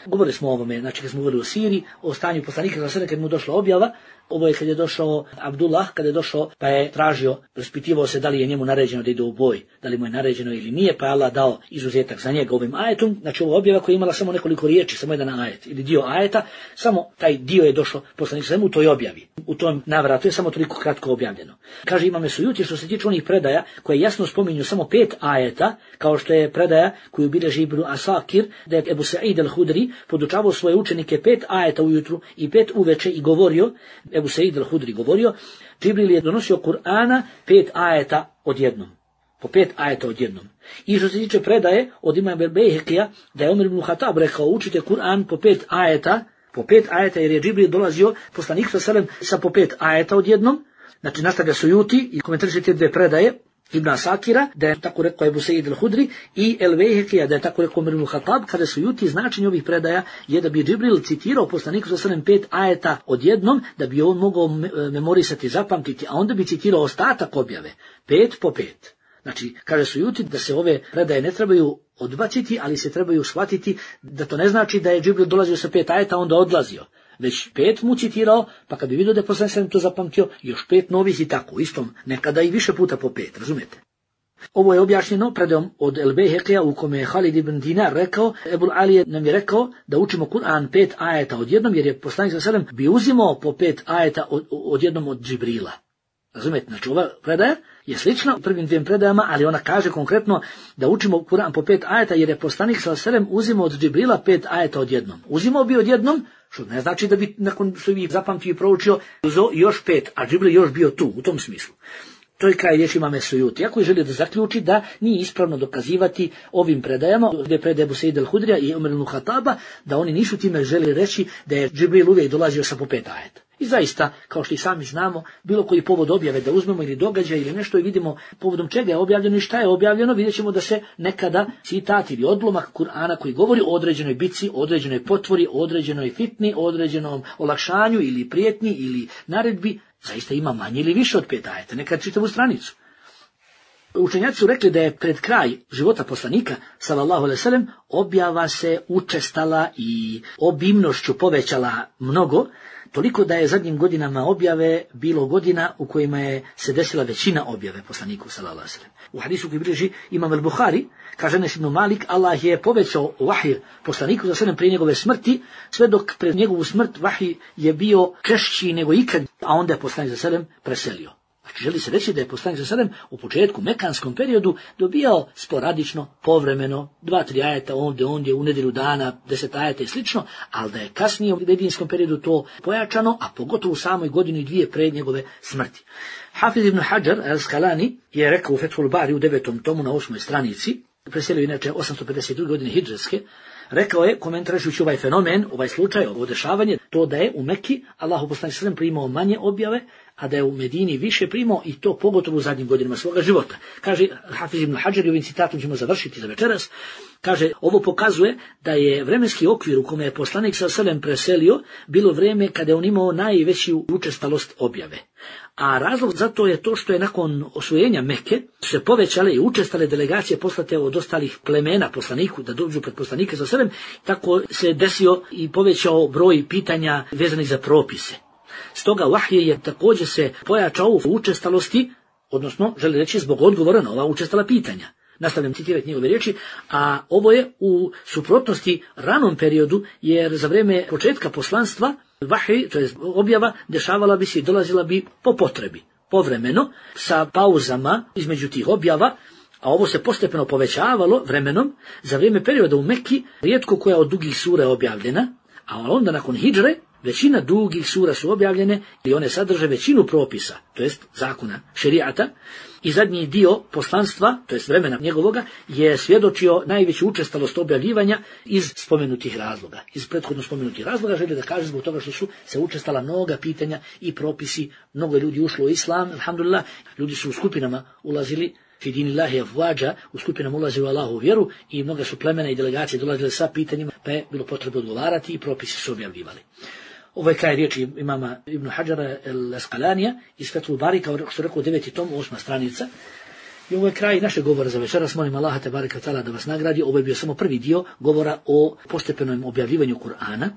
Govorili smo o ovome, znači kad smo govorili o Siriji, o stanju poslanika sallallahu alejhi ve sellem kad mu došla objava. Ovo je kad je došao Abdullah, kad je došao pa je tražio, raspitivao se da li je njemu naređeno da ide u boj, da li mu je naređeno ili nije, pa je Allah dao izuzetak za njega ovim ajetom. Znači ovo objava koja je imala samo nekoliko riječi, samo jedan ajet ili dio ajeta, samo taj dio je došao poslanik sallallahu alejhi ve sellem u toj objavi. U tom navratu je samo toliko kratko objavljeno. Kaže Imam Sujuti, što se tiče onih predaja koje jasno spominju samo pet ajeta, kao što je predaja koju bilježi Ibn Asakir, da je Ebu Sa'id al-Hudri podučavao svoje učenike pet ajeta ujutru i pet uveče i govorio, Ebu Sa'id al-Hudri govorio, Džibril je donosio Kur'ana pet ajeta odjednom. Po pet ajeta odjednom. I što se tiče predaje od imama Bejhekija, da je Omer ibn Hatab rekao, učite Kur'an po pet ajeta, po pet ajeta, jer je Džibril dolazio poslanik sallallahu alejhi ve sellem sa po pet ajeta odjednom. Znači nastavlja Sujuti i komentariše te dve predaje Ibn Asakira, da je tako rekao Ebu Sa'id al-Hudri, i El Bejhekija, da je tako rekao Omer ibn Hatab, kada Sujuti značenje ovih predaja je da bi Džibril citirao poslaniku sallallahu alejhi ve sellem pet ajeta odjednom, da bi on mogao memorisati, zapamtiti, a onda bi citirao ostatak objave, pet po pet. Znači, kaže Sujuti da se ove predaje ne trebaju odbaciti, ali se trebaju shvatiti da to ne znači da je Džibril dolazio sa pet ajeta, onda odlazio. Već pet mu citirao, pa kad bi vidio da je poslanik sallallahu alejhi ve sellem to zapamtio, još pet novih i tako, istom, nekada i više puta po pet, razumijete? Ovo je objašnjeno predajom od El Bejhekija u kome je Halid ibn Dinar rekao, Ebul Ali nam je rekao da učimo Kur'an pet ajeta odjednom, jer je poslanik sallallahu alejhi ve sellem bi uzimao po pet ajeta od, odjednom od Džibrila. Razumijete, znači ova predaja je slična u prvim dvijem predajama, ali ona kaže konkretno da učimo Kur'an po pet ajeta, jer je poslanik sallallahu alejhi ve sellem uzimao od Džibrila pet ajeta odjednom. Uzimao bi odjednom, što ne znači da bi nakon što bi zapamtio i proučio uzeo još pet, a Džibril još bio tu, u tom smislu. To je kraj riječi Imam Sujuti. Ako je želio da zaključi da nije ispravno dokazivati ovim predajama, gdje predaje Ebu Sa'id al-Hudrija i Omer ibn Hataba, da oni nisu time želi reći da je Džibril uvijek dolazio sa po pet ajeta. I zaista, kao što i sami znamo, bilo koji povod objave da uzmemo ili događaj ili nešto i vidimo povodom čega je objavljeno i šta je objavljeno, vidjet ćemo da se nekada citat ili odlomak Kur'ana koji govori o određenoj bici, o određenoj potvori, o određenoj fitni, o određenom olakšanju ili prijetnji ili naredbi, zaista ima manje ili više od pet ajeta, nekad čitavu stranicu. Učenjaci su rekli da je pred kraj života poslanika, sallallahu alejhi ve sellem, objava se učestala i obimnošću povećala mnogo, toliko da je zadnjim godinama objave bilo godina u kojima je se desila većina objave poslaniku, sallallahu alejhi ve sellem. U hadisu koji bilježi Imam al-Buhari, kaže Enes ibn Malik, Allah je povećao vahij poslaniku, sallallahu alejhi ve sellem, prije njegove smrti, sve dok pred njegovu smrt vahij je bio češći nego ikad, a onda je poslanik, sallallahu alejhi ve sellem, preselio. Znači, želi se reći da je poslanik sallallahu alejhi ve sellem u početku mekanskom periodu dobijao sporadično, povremeno, dva, tri ajeta ovdje, ondje, u nedjelju dana, deset ajeta i slično, ali da je kasnije u medijinskom periodu to pojačano, a pogotovo u samoj godini i dvije pred njegove smrti. Hafiz ibn Hajar al-Asqalani je rekao u Fethul Bari u devetom tomu na osmoj stranici, preselio inače osamsto pedeset druge godine hidžrske, rekao je, komentirajući ovaj fenomen, ovaj slučaj, ovo dešavanje, to da je u Mekki Allahu poslanik sallallahu alejhi ve sellem primao manje objave, a da je u Medini više primao, i to pogotovo u zadnjim godinama svoga života. Kaže Hafiz ibn Hajar, i ovim citatom ćemo završiti za večeras, kaže, ovo pokazuje da je vremenski okvir u kome je poslanik sallallahu alejhi ve sellem preselio bilo vrijeme kada je on imao najveću učestalost objave. A razlog za to je to što je nakon osvojenja Mekke se povećale i učestale delegacije poslate od ostalih plemena poslaniku da dođu pred poslanike sallallahu alejhi ve sellem, tako se desio i povećao broj pitanja vezanih za propise. Stoga vahij je također se pojačao u učestalosti, odnosno želi reći zbog odgovora na ova učestala pitanja. Nastavljam citirati njegove riječi, a ovo je u suprotnosti ranom periodu, jer za vrijeme početka poslanstva vahij, to je objava, dešavala bi se i dolazila bi po potrebi, povremeno, sa pauzama između tih objava, a ovo se postepeno povećavalo vremenom. Za vrijeme perioda u Mekki rijetko koja od dugih sura je objavljena, a onda nakon hidžre većina dugih sura su objavljene i one sadrže većinu propisa, to jest zakona, šerijata, i zadnji dio poslanstva, to jest vremena njegovoga, je svjedočio najveću učestalost objavljivanja iz spomenutih razloga. Iz prethodno spomenutih razloga želi da kaže zbog toga što su se učestala mnoga pitanja i propisi, mnogo ljudi ušlo u islam, alhamdulillah, ljudi su u skupinama ulazili, fi dinillahi afvađa, u skupinama ulazili u Allahovu vjeru, i mnoga su plemena i delegacije dolazile sa pitanjima, pa je bilo potrebno odgovarati i propisi su objavljivali. Ovo je kraj riječi imama Ibn Hajara al-Asqalanija iz Fethul Bari, kao što rekao, deveti tom, osma stranica. I ovo je kraj našeg govora za večeras. Molim Allaha tebareka ve taala da vas nagradi. Ovo je bio samo prvi dio govora o postepenom objavljivanju Kur'ana.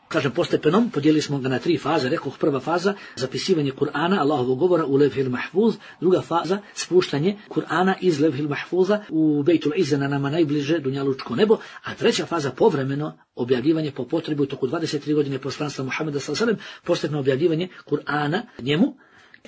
Kažem postepenom, podijelili smo ga na tri faze. Rekoh, prva faza, zapisivanje Kur'ana, Allahovog govora u Levhil Mahfuz. Druga faza, spuštanje Kur'ana iz Levhil Mahfuza u Bejtul Izza, na nama najbliže dunjalučko nebo. A treća faza, povremeno objavljivanje po potrebi u toku dvadeset tri godine poslanstva Muhameda sallallahu alejhi ve sellem, postepeno objavljivanje Kur'ana njemu.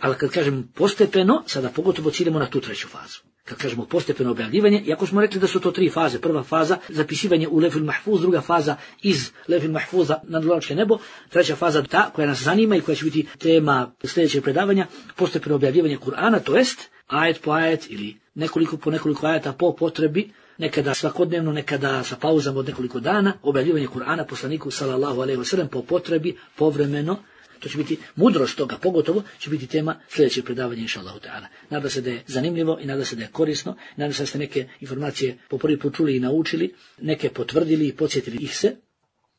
Ali kad kažem postepeno, sada pogotovo ciljamo na tu treću fazu. Kad kažemo postepeno objavljivanje, iako smo rekli da su to tri faze, prva faza zapisivanje u Levhil Mahfuz, druga faza iz Levhil Mahfuza na dunjalučko nebo, treća faza ta koja nas zanima i koja će biti tema sljedećeg predavanja, postepeno objavljivanje Kur'ana, to jest ajet po ajet ili nekoliko po nekoliko ajeta po potrebi, nekada svakodnevno, nekada sa pauzama od nekoliko dana, objavljivanje Kur'ana poslaniku sallallahu alejhi ve sellem po potrebi, povremeno. To će biti mudrost toga, pogotovo će biti tema sljedećeg predavanja, inša Allahu ta'ala. Nada se da je zanimljivo i nada se da je korisno, nada se da ste neke informacije po prvi put čuli i naučili, neke potvrdili i podsjetili ih se.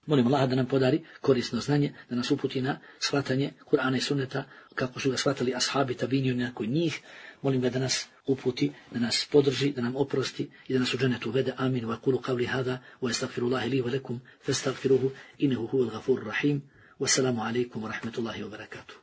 Molim Allaha da nam podari korisno znanje, da nas uputi na shvatanje Kur'ana i sunneta, kako su ga shvatali ashabi, tabini, nakon njih. Molim ga da nas uputi, da nas podrži, da nam oprosti i da nas u džennetu uvede. Amin. Wa kulu qavli hada, wa astaghfirullahi li wa lakum, fastaghfiruhu, innahu huwal ghafurur rahim. Wassalamu alaikum wa rahmatullahi wa barakatuh.